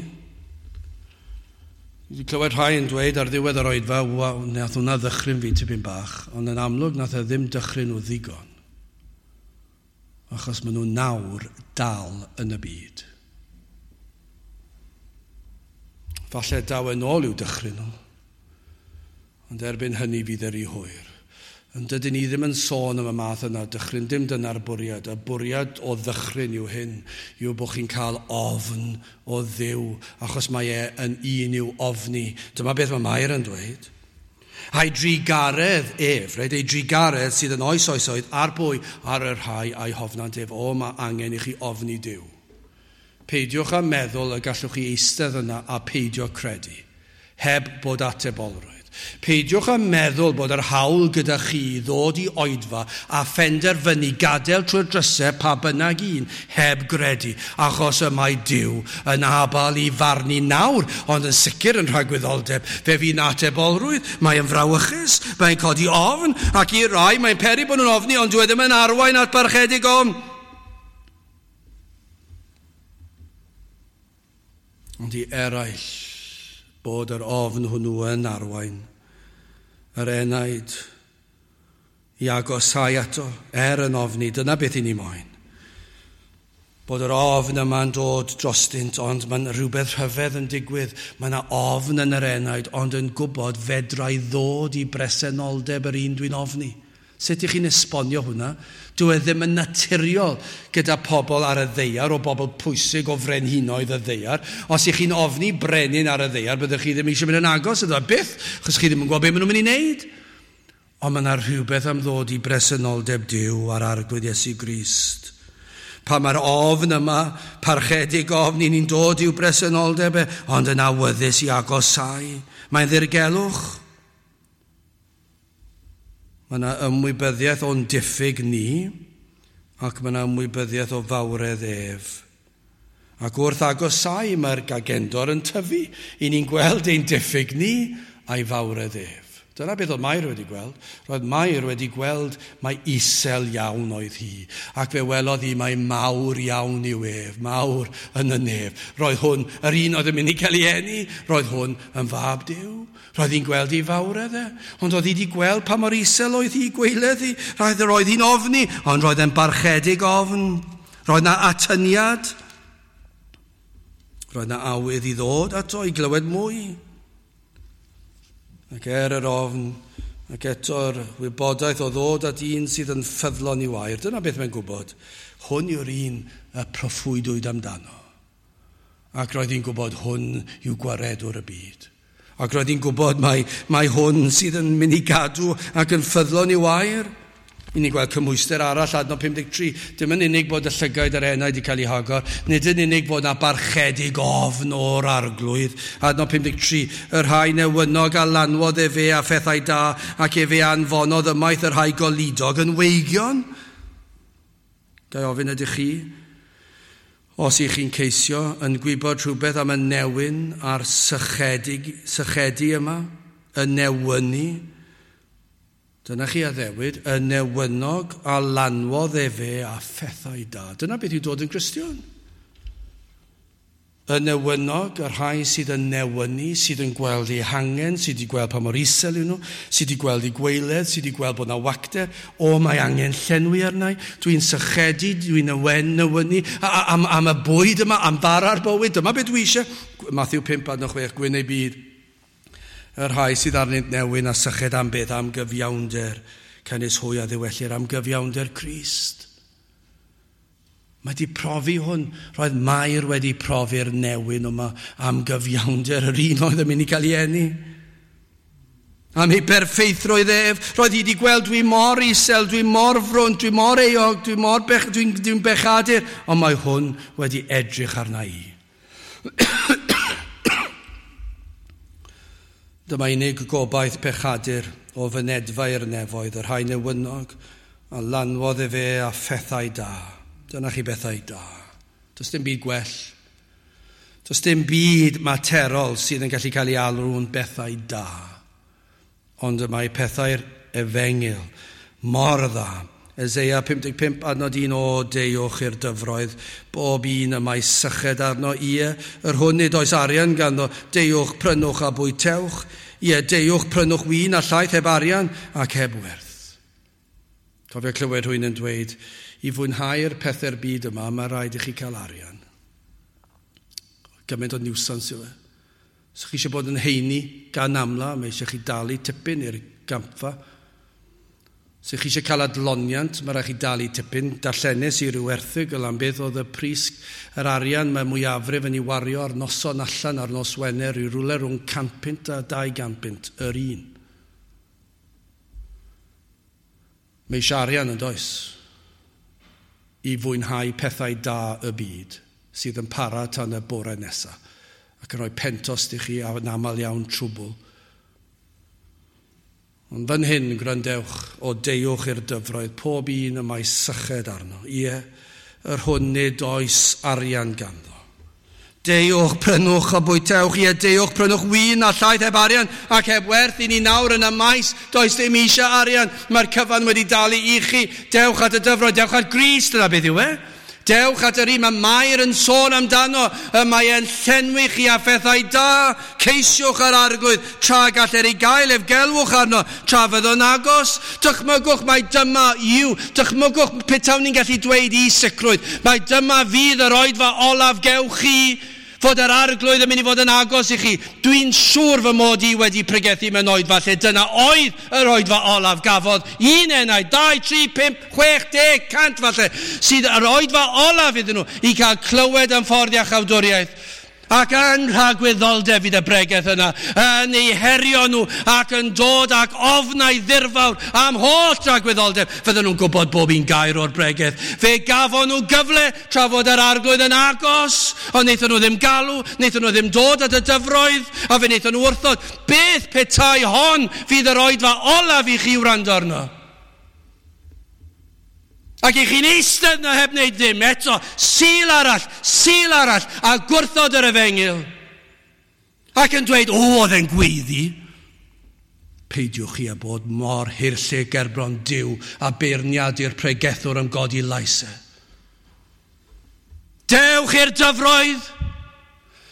A: Dwi wedi clywed rhai yn dweud ar ddiwedd yr oedfa, waw, nath hwnna ddychryn fi tipyn bach, ond yn amlwg nath e ddim dychryn nhw ddigon. Achos maen nhw nawr dal yn y byd. Falle daw yn ôl i'w dychryn nhw, ond erbyn hynny fydd yr i hwyr. Ond dydyn ni ddim yn sôn am y math yna dychryn, dim dyna'r bwriad. Y bwriad o ddychryn yw hyn, yw bod chi'n cael ofn o Dduw, achos mae e yn un i'w ofni. Dyma beth mae Mair yn dweud. A'i drugaredd ef, reit, ei drugaredd sydd yn oes oesoedd ar bwy, ar y rhai a'i hofnant ef. O, mae angen i chi ofni Duw. Peidiwch â meddwl y gallwch chi eistedd yna a peidio credu, heb bod atebolrwydd. Peidiwch â meddwl bod yr hawl gyda chi ddod i oedfa a phenderfynu gadael trwy'r drysau pa bynnag un heb gredu, achos y mae Duw yn abal i farnu nawr, ond yn sicr yn rhagwyddoldeb. Fe fydd atebolrwydd, mae'n frawychus, mae'n codi ofn, ac i rai mae'n peri bod nhw'n ofni, ond dyw e ddim yn arwain at barchedig ofn. Ond i eraill, bod yr ofn hwnnw yn arwain yr enaid i agosau ato, er yn ofni, dyna beth i ni moyn. Bod yr ofn yma'n dod drostynt, ond mae'n rhywbeth rhyfedd yn digwydd. Mae yna ofn yn yr enaid, ond yn gwybod fedrai ddod i bresenoldeb yr un dwi'n ofni. Sut ych chi'n esbonio hwnna? Dyw e ddim yn naturiol gyda pobl ar y ddaear, o bobl pwysig o frenhinoedd y ddaear. Os ych chi'n ofni brenin ar y ddaear, byddwch chi ddim eisiau mynd yn agos iddo byth, achos chi ddim yn gwybod beth maen nhw'n mynd i wneud. Ond mae yna rhywbeth am ddod i bresenoldeb Duw ar Arglwydd Iesu Grist. Pa mae'r ofn yma, parchedig ofn, ni'n dod i'w bresenoldeb e, ond yn awyddus i agosau. Mae'n ddirgelwch. Mae yna ymwybyddiaeth o'n diffyg ni, ac mae yna ymwybyddiaeth o fawredd ef. Ac wrth agosau mae'r gagendor yn tyfu. I ni'n gweld ein diffyg ni a'i fawredd ef. Dyna beth oedd Mair wedi gweld. Roedd Mair wedi gweld mai isel iawn oedd hi. Ac fe welodd hi mai mawr iawn yw ef, mawr yn y nef. Roedd hwn, yr un oedd yn mynd i cael ei eni, roedd hwn yn fab Duw. Roedd hi'n gweld ei fawredd e. Ond oedd hi wedi gweld pa mor isel oedd hi, gweiledd hi. Roedd, roedd hi'n ofni, ond roedd e'n barchedig ofn. Roedd na atyniad. Roedd na awydd i ddod ato i glywed mwy. Ac er yr ofn, ac eto'r wybodaeth o ddod at un sydd yn ffyddlon i'w air. Dyna beth mae'n gwybod. Hwn yw'r un y proffwydwyd amdano. Ac roedd hi'n gwybod hwn yw gwaredwr y byd. Ac roedd hi'n gwybod mai, mai hwn sydd yn mynd i gadw ac yn ffyddlon i'w air. I ni gweld cymhwyster arall, adnod pum deg tri. Dim yn unig bod y llygaid yr enaid wedi cael ei hagor, nid yn unig bod na barchedig ofn o'r arglwydd. Adnod pum deg tri, y rhai newynog a lanwodd efe a phethau da, ac efe anfonodd ymaith y rhai goludog yn weigion. Ga i ofyn ydych chi, os ych chi'n ceisio yn gwybod rhywbeth am y newyn a'r sychedig, sychedu yma, y newynu, dyna chi addewid, y newynog a lanwodd efe a phethau da. Dyna beth yw dod yn Gristion. Y newynog, y rhai sydd yn newynu, sydd yn gweld eu hangen, sydd wedi gweld pa mor isel yw nhw, sydd wedi gweld eu gwaeledd, sydd wedi gweld bod yna wacter, o, mae angen llenwi arnau, dwi'n sychedu, dwi'n newynu, am, am y bwyd yma, am fara'r bywyd, dyma beth dwi eisiau. Matthew pump adnod chwech, gwyn ei byd. Y rhai sydd arnynt newyn a syched am beth, am gyfiawnder, canys hwy a ddiwellir am gyfiawnder Crist. Mae di profi hwn. Roedd Mair wedi profi'r newyn yma am gyfiawnder yr un oedd yn mynd i gael ei eni. Am ei berffeithrwydd ef. Roedd hi wedi gweld dwi mor isel, dwi mor frwnt, dwi mor euog, dwi mor bech, dwi'n dwi bechadur. Ond mae hwn wedi edrych arna i. Dyma unig gobaith pechadur o fynedfa i'r nefoedd, y rhai newynog, a lanwodd efe a phethau da. Dyna chi bethau da. Does dim byd gwell. Does dim byd materol sydd yn gallu cael ei alw'n bethau da. Ond y mae pethau'r efengyl mor dda. Eseia pum deg pump adnod un, o deuwch i'r dyfroedd, bob un y mae syched arno, ie, yr hwn nid oes arian ganddo, deuwch, prynwch a bwytewch, ie, deuwch, prynwch win a llaeth heb arian ac heb werth. Cofio clywed rhywun yn dweud, i fwynhau'r pethau'r byd yma, mae rhaid i chi cael arian. Gymaint o niwsans yw e. Os chi eisiau bod yn heini gan amla, mae eisiau chi dalu tipyn i'r gampfa. Os chi eisiau cael adloniant, mae rhaid chi dalu tipyn. Darllenes i ryw erthygl am beth oedd y pris yr arian mae mwyafrif yn ei wario ar noson allan ar nos Wener i rywle rhwng cant punt a dau gant punt yr un. Mae eisiau arian yn does i fwynhau pethau da y byd sydd yn para tan y bore nesaf ac yn rhoi pentost i chi a'n aml iawn trwbl. Ond fan hyn, gwrandewch, o deuwch i'r dyfroedd, pob un y mae syched arno. Ie, yr hwn nid oes arian ganddo. Deuwch, prynwch a bwytewch, ie, deuwch, prynwch win a llaeth heb arian ac heb werth i ni nawr yn y maes. Does dim eisiau arian, mae'r cyfan wedi dalu i chi. Dewch at y dyfroedd, dewch at Grist, dyna beth yw e. Dewch at yr un mae Mair yn sôn amdano, y mae e'n llenwi chi a phethau da. Ceisiwch yr arglwydd, tra galler ei gael ef, gelwch arno, tra fydd o'n agos. Dychmygwch mai dyma yw, dychmygwch petawn ni'n gallu dweud i sicrwydd, mai dyma fydd yr oedfa olaf gewch chi, fod yr arglwydd yn mynd i fod yn agos i chi. Dwi'n siŵr fy mod i wedi pregethu mewn oedfa lle dyna oedd yr oedfa olaf gafodd un enaid, dau, tri, pump, chwech, deg, cant falle, sydd yr oedfa olaf iddyn nhw i cael clywed am ffordd iachawdwriaeth. Ac yn rhagwyddoldeb fydd y bregeth yna, yn eu herio nhw ac yn dod ac ofnau ddirfawr am holl rhagwyddoldeb. Fydden nhw'n gwybod bob un gair o'r bregeth. Fe gafon nhw gyfle tra fod yr arglwydd yn agos, ond wnaethon nhw ddim galw, wnaethon nhw ddim dod at y dyfroedd, a fe wnaethon nhw wrthod. Beth petai hon fydd yr oedfa olaf i chi wrando arno? Ac i chi'n eistedd na heb wneud ddim eto, Sul arall, Sul arall, a gwrthod yr efengyl. Ac yn dweud, o, oedd e'n gweiddi. Peidiwch chi â bod mor hirllug gerbron Duw a beirniadu'r pregethwr am godi lais e. Dewch i'r dyfroedd.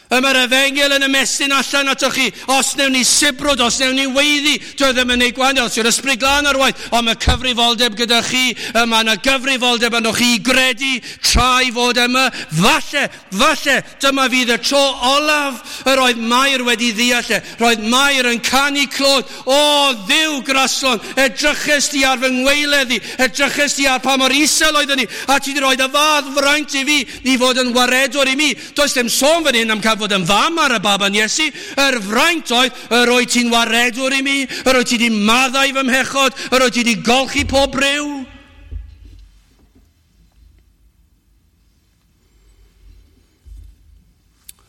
A: Y mae'r efengyl yn ymestyn allan atoch chi. Os newn ni sibrwd, os newn ni weiddi, dwi ddim yn neud gwahaniaeth, os yw'r ysbryd glân ar waith, ond mae cyfrifoldeb gyda chi, y mae yna gyfrifoldeb arnoch chi i gredu tra i fod yma. Falle, falle, dyma fydd y tro olaf yr oedd Mair wedi ddeall e. Roedd Mair yn canu clod. O, Dduw graslon, edryches di ar fy ngwaeledd i, edryches di ar pa mor isel oeddwn i, a ti wedi rhoi y fath fraint i fi, i fod yn waredwr i mi. Does dim sôn fan hyn am cael fod yn fam ar y baban Iesu. Yr fraint oedd, yr oedd ti'n waredwr i mi, yr oedd ti wedi maddau fy mhechod, yr oedd ti wedi golchi pob briw.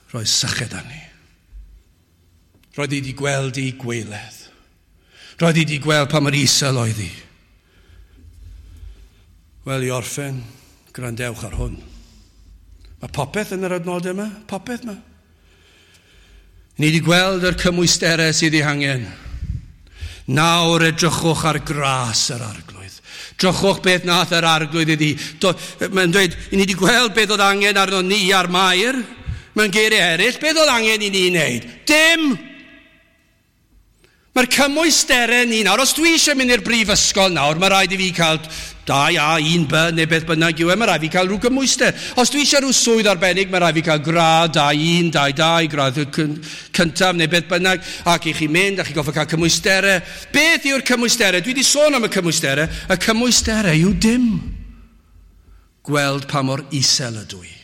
A: Roedd syched arni. Roedd hi wedi gweld ei gwaeledd. Roedd hi wedi gweld pa mor isel oedd hi. Wel, i orffen, gwrandewch ar hwn. Mae popeth yn yr adnodau yma, popeth yma. Ni wedi gweld yr cymwysterau sydd ei hangen. Nawr edrychwch ar gras yr Arglwydd. Drychwch beth nath yr Arglwydd iddi. Mae'n dweud, ni wedi gweld beth oedd angen arno ni ar Mair. Mae'n geiriau eraill, beth oedd angen i ni wneud? Dim! Mae'r cymwysterau ni nawr, os dwi eisiau mynd i'r brifysgol nawr, mae rhaid i fi cael dau A, un B, neu beth bynnag yw e, mae rhaid i fi cael rhyw gymwyster. Os dwi eisiau rhyw swydd arbennig, mae rhaid i fi cael gradd dau, un, dau, dau, gradd cyntaf, neu beth bynnag, ac i chi mynd, a chi goffa cael cymwysterau. Beth yw'r cymwysterau? Dwi wedi sôn am y cymwysterau. Y cymwysterau yw dim. Gweld pa mor isel ydw i.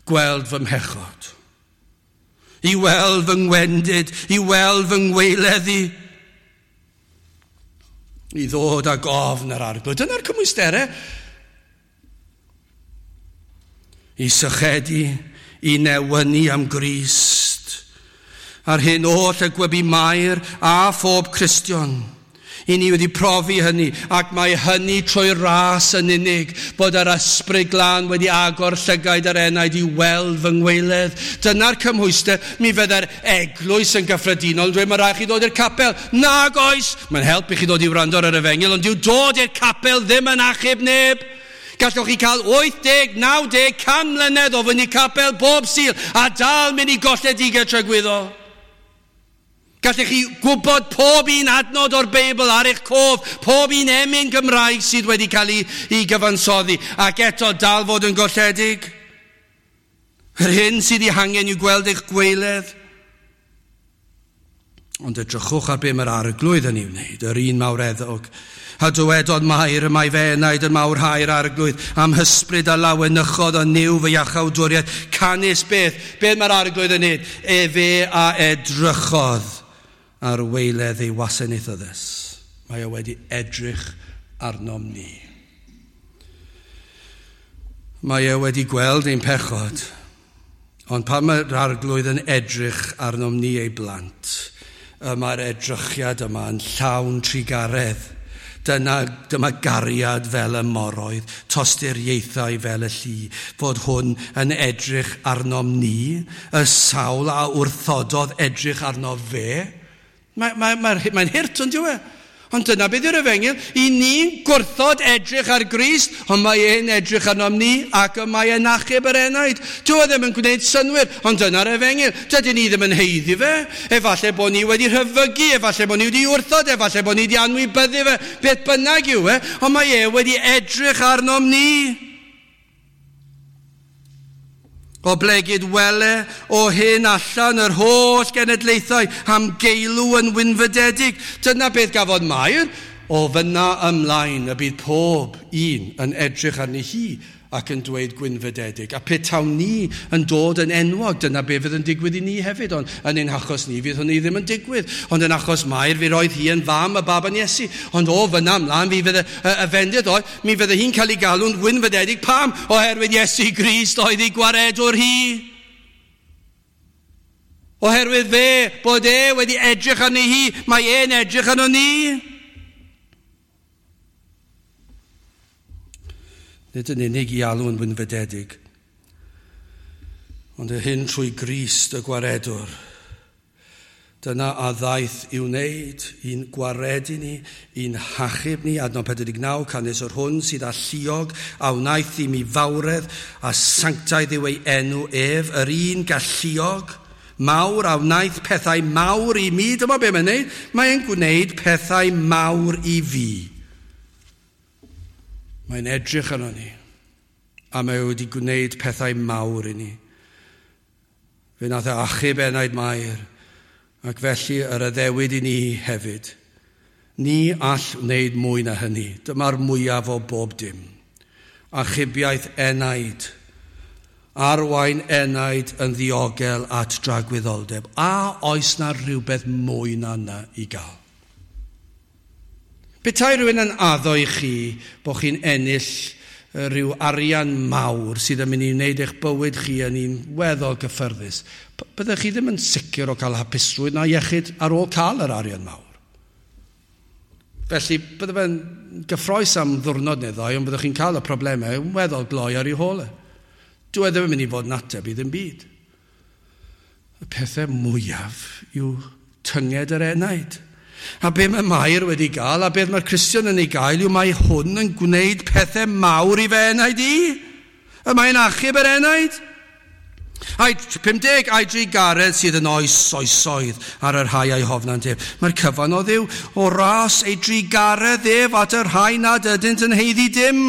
A: Gweld fy mhechod. I weld fy ngwendid, i weld fy ngwaeledd i. I ddod ag ofn yr Arglwydd. Dyna'r cymwysterau. I sychedu, i newynu am Grist. Ar hyn oll y gwybu Mair a phob Cristion. I ni wedi profi hynny, ac mae hynny trwy ras yn unig, bod yr Ysbryd Glân wedi agor llygaid yr enaid i weld fy ngwaeledd. Dyna'r cymhwyster, mi fydde'r eglwys yn gyffredinol yn dweud, mae rhaid chi ddod i'r capel. Nag oes! Mae'n help i chi ddod i wrando ar yr efengyl, ond dyw dod i'r capel ddim yn achub neb. Gallwch chi cael wyth deg, naw deg, can mlynedd o fynd i capel bob Sul, a dal mynd i golledigaeth tragwyddol. Gallech chi gwybod pob un adnod o'r Beibl ar eich cof, pob un emyn Gymraeg sydd wedi cael ei, ei gyfansoddi, ac eto dal fod yn golledig. Yr hyn sydd ei hangen yw gweld eich gwaeledd. Ond edrychwch ar be mae'r Arglwydd yn ei wneud, yr un mawreddog. A dywedodd Mair, y mae fy enaid yn mawrhau'r Arglwydd, am hysbryd a lawenychodd o Nuw fy iachawdwriaeth. Canys beth, beth mae'r Arglwydd yn wneud? Efe a edrychodd ar waeledd ei wasanaethyddes. Mae o wedi edrych arnom ni. Mae e wedi gweld ein pechod, ond pan mae'r Arglwydd yn edrych arnom ni ei blant, y mae'r edrychiad yma yn llawn trugaredd. Dyna, dyma gariad fel y moroedd, tosturiaethau fel y lli, fod hwn yn edrych arnom ni, y sawl a wrthododd edrych arno fe. Mae'n mae, mae, mae hurt, ond yw e? Ond dyna beth yw'r efengyl. I ni'n gwrthod edrych ar Grist, ond mae e'n edrych arnom ni ac y mae e'n achub yr enaid. Dyw e ddim yn gwneud synnwyr, ond dyna'r efengyl. Dydyn ni ddim yn haeddu fe. Efallai bod ni wedi rhyfygu, efallai bod ni wedi wrthod, efallai bod ni wedi anwybyddu fe. Beth bynnag yw e, ond mae e wedi edrych arnom ni. Oblegid wele o hyn allan yr holl genedlaethau am geilw yn wynfydedig. Dyna beth gafodd Mair. O fyna ymlaen y bydd pob un yn edrych arni hi ac yn dweud gwynfydedig. A petawn ni yn dod yn enwog, dyna be fydd yn digwydd i ni hefyd, ond yn ein achos ni fydd hynny ddim yn digwydd. Ond yn achos Mair, fi roedd hi yn fam y baban Iesu. Ond o fyna ymlaen, fi fydd y, y, y fendith oedd, mi fydde hi'n cael ei galw'n wynfydedig. Pam? Oherwydd Iesu Grist oedd ei gwaredwr hi. Oherwydd fe, bod e wedi edrych arni hi, mae e'n edrych arno ni. Nid yn unig i alw yn wynfydedig, ond y hyn trwy Grist y gwaredwr. Dyna a ddaeth i'w wneud, i'n gwaredu ni, i'n hachub ni, adnod pedwar deg naw, canys yr hwn sydd alluog a wnaeth i mi fawredd a sanctaidd yw ei enw ef, yr un galluog, mawr a wnaeth pethau mawr i mi. Dyma be mae'n gwneud, mae'n gwneud pethau mawr i fi. Mae'n edrych arno ni, a mae wedi gwneud pethau mawr i ni. Fe nath e achub enaid Mair, ac felly yr addewid i ni hefyd. Ni all wneud mwy na hynny. Dyma'r mwyaf o bob dim. Achubiaeth enaid, arwain enaid yn ddiogel at dragwyddoldeb. A oes na rhywbeth mwy na yna i gael? Petai rhywun yn addo i chi bod chi'n ennill rhyw arian mawr sydd yn mynd i wneud eich bywyd chi yn un weddol gyffyrddus, byddech chi ddim yn sicr o cael hapusrwydd na iechyd ar ôl cael yr arian mawr. Felly, bydde fe'n gyffroes am ddwrnod neu ddau, ond byddwch chi'n cael y problemau yn weddol gloi ar ei hôl e. Dyw e ddim yn mynd i fod yn ateb i ddim byd. Y pethau mwyaf yw tynged yr enaid. A be mae Mair wedi gael, a beth mae'r Cristion yn ei gael, yw mae hwn yn gwneud pethau mawr i fe enaid i. Y mae'n achub yr enaid. Ai pum deg, a'i drugaredd sydd yn oes oesoedd ar y rhai a'i hofnant ef. Mae'r cyfan o Dduw o ras ei drugaredd ef at y rhai nad ydynt yn haeddu dim.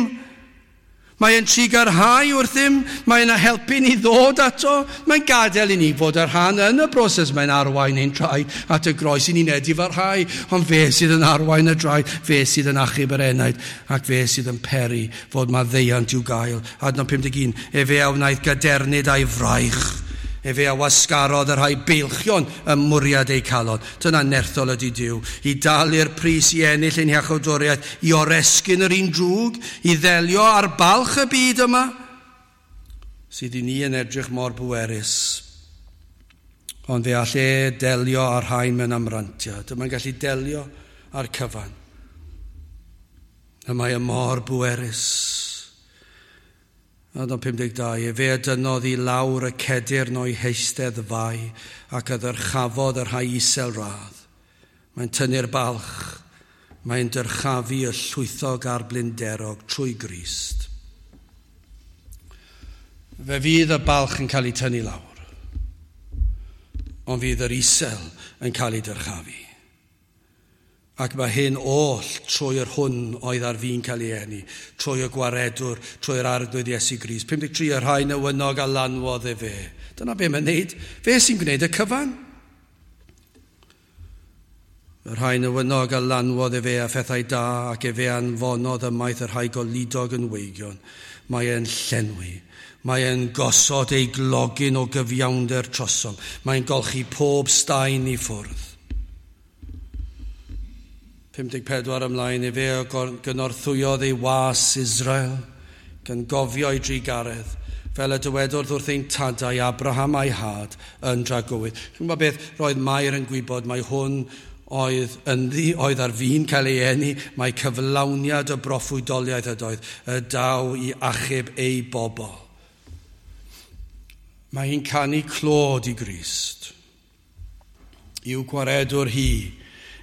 A: Mae e'n trugarhau wrthym, mae'n helpu ni ddod ato, mae'n gadael i ni fod ar rhan yn y broses, mae'n arwain ein traed at y groes i ni'n edifarhau, ond fe sydd yn arwain y draed, fe sydd yn achub yr enaid, ac fe sydd yn peri fod maddeuant i'w gael. Adnod pum deg un, efe a wnaeth gadernid a'i fraich. Efe a wasgarodd y rhai beilchion ym mwriad eu calon. Dyna nerthol ydy Duw. I dalu'r pris i ennill ein hiachawdwriaeth, i oresgyn yr un drwg, i ddelio ar balch y byd yma, sydd i ni yn edrych mor bwerus. Ond fe all e delio ar rhain mewn amrantiad. Mae'n gallu delio ar cyfan. Y mae y mor bwerus. Adnod pum deg dau, efe a dynnodd i lawr y cedyrn o'i heistedd fai ac a ddyrchafodd y rhai isel radd. Mae'n tynnu'r balch, mae'n dyrchafu y llwythog a'r blinderog trwy Grist. Fe fydd y balch yn cael ei tynnu lawr, ond fydd yr isel yn cael ei dyrchafu. Ac mae hyn oll trwy yr hwn oedd ar fin cael ei eni, trwy y gwaredwr, trwy'r Arglwydd Iesu Grist. pum deg tri, y rhai newynog a lanwodd efe. Dyna be mae'n neud. Fe sy'n gwneud y cyfan. Y rhai newynog a lanwodd efe a phethau da ac efe anfonodd ymaith y rhai goludog yn weigion. Mae e'n llenwi. Mae e'n gosod ei glogyn o gyfiawnder trosom. Mae'n golchi pob staen i ffwrdd. pum deg pedwar ymlaen, efe a gynorthwyodd ei was Israel, gan gofio ei drugaredd, fel y dywedodd wrth ein tadau Abraham a'i had yn dragywydd. Chi'n gwybod beth roedd Mair yn gwybod, mae hwn oedd ynddi, oedd ar fin cael ei eni, mae cyflawniad y broffwydoliaeth ydoedd, y daw i achub ei bobl. Mae hi'n canu clod i Grist. I'w gwaredwr hi,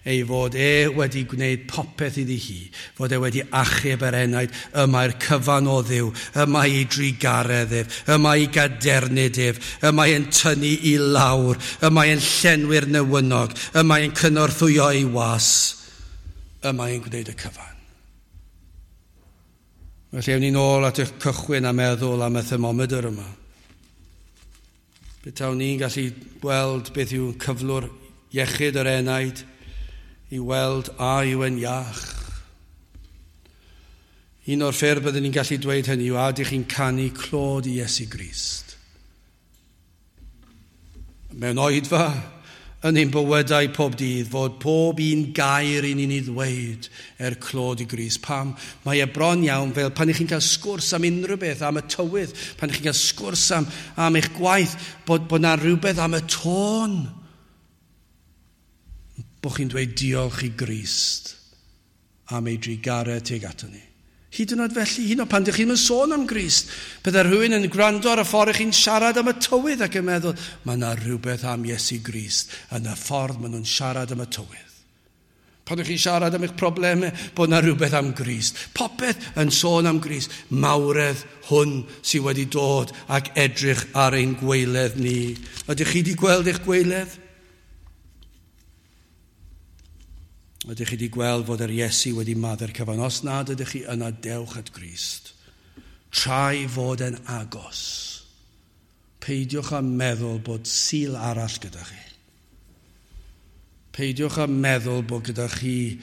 A: ei fod e wedi gwneud popeth iddi hi, fod e wedi achub yr enaid, y mae'r cyfan o Dduw, y mae ei drugaredd ef, y mae ei gadernid ef, y mae e'n tynnu i lawr, y mae e'n llenwi'r newynog, y mae e'n cynorthwyo ei was, y mae e'n gwneud y cyfan. Felly, ewn ni'n ôl at y cychwyn a meddwl am y thermomedr yma. Betawn ni'n gallu gweld beth yw cyflwr iechyd yr enaid, i weld a yw e'n iach. Un o'r ffyrdd byddwn ni'n gallu dweud hynny yw a ydych chi'n canu clod i Iesu Grist. Mewn oedfa yn ein bywydau pob dydd fod pob un gair i ni'n ei ddweud er clod i Grist. Pam? Mae e bron iawn fel pan ych chi'n cael sgwrs am unrhyw beth, am y tywydd, pan ych chi'n cael sgwrs am, am eich gwaith, bod, bod na rhywbeth am y tôn bod chi'n dweud diolch i Grist am ei drugaredd tuag ato ni. Hyd yn oed felly, hyd yn oed pan ydych chi'n sôn am Grist, bydde rhywun yn gwrando ar y ffordd chi'n siarad am y tywydd ac yn meddwl, mae yna rhywbeth am Iesu Grist yn y ffordd maen nhw'n siarad am y tywydd. Pan ydych chi'n siarad am eich problemau, bod yna rhywbeth am Grist. Popeth yn sôn am Grist. Mawredd hwn sydd wedi dod ac edrych ar ein gwaeledd ni. Ydych chi wedi gweld eich gwaeledd? Ydych chi wedi gweld fod yr Iesu wedi maddau'r cyfan? Os nad ydych chi, yna dewch at Grist. Trai fod yn agos. Peidiwch â meddwl bod Sul arall gyda chi. Peidiwch â meddwl bod gyda chi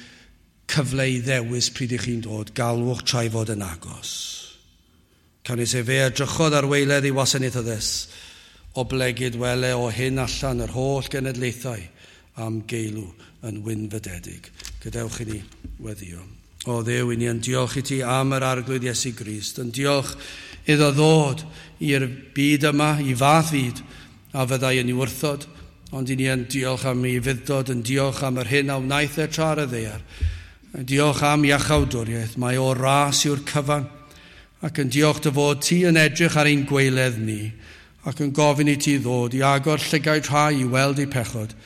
A: cyfle i ddewis pryd ych chi'n dod. Galwch trai fod yn agos. Canys efe edrychodd ar waeledd ei wasanaethyddes, oblegid wele o hyn allan yr holl genedlaethau am geilw yn wynfydedig. Gadewch i ni weddio. O Dduw, i ni yn diolch i ti am yr Arglwydd Iesu Grist, yn diolch iddo ddod i'r byd yma, i fath fyd, a fyddai yn ei wrthod, ond i ni yn diolch am ei ufudd-dod, yn diolch am yr hyn a wnaeth e tra ar y ddaear. Diolch am iachawdwriaeth, mae o ras yw'r cyfan, ac yn diolch dy fod ti yn edrych ar ein gwaeledd ni, ac yn gofyn i ti ddod i agor llygaid rhai i weld eu pechod,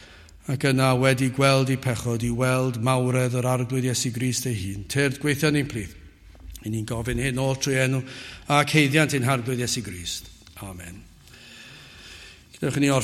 A: ac yna wedi gweld eu pechod i weld mawredd yr Arglwydd Iesu Grist ei hun. Tyrd gweithio ni'n plith. I ni'n gofyn hyn oll trwy enw ac haeddiant ein Harglwydd Iesu Grist. Amen. Gadewch i ni orffen.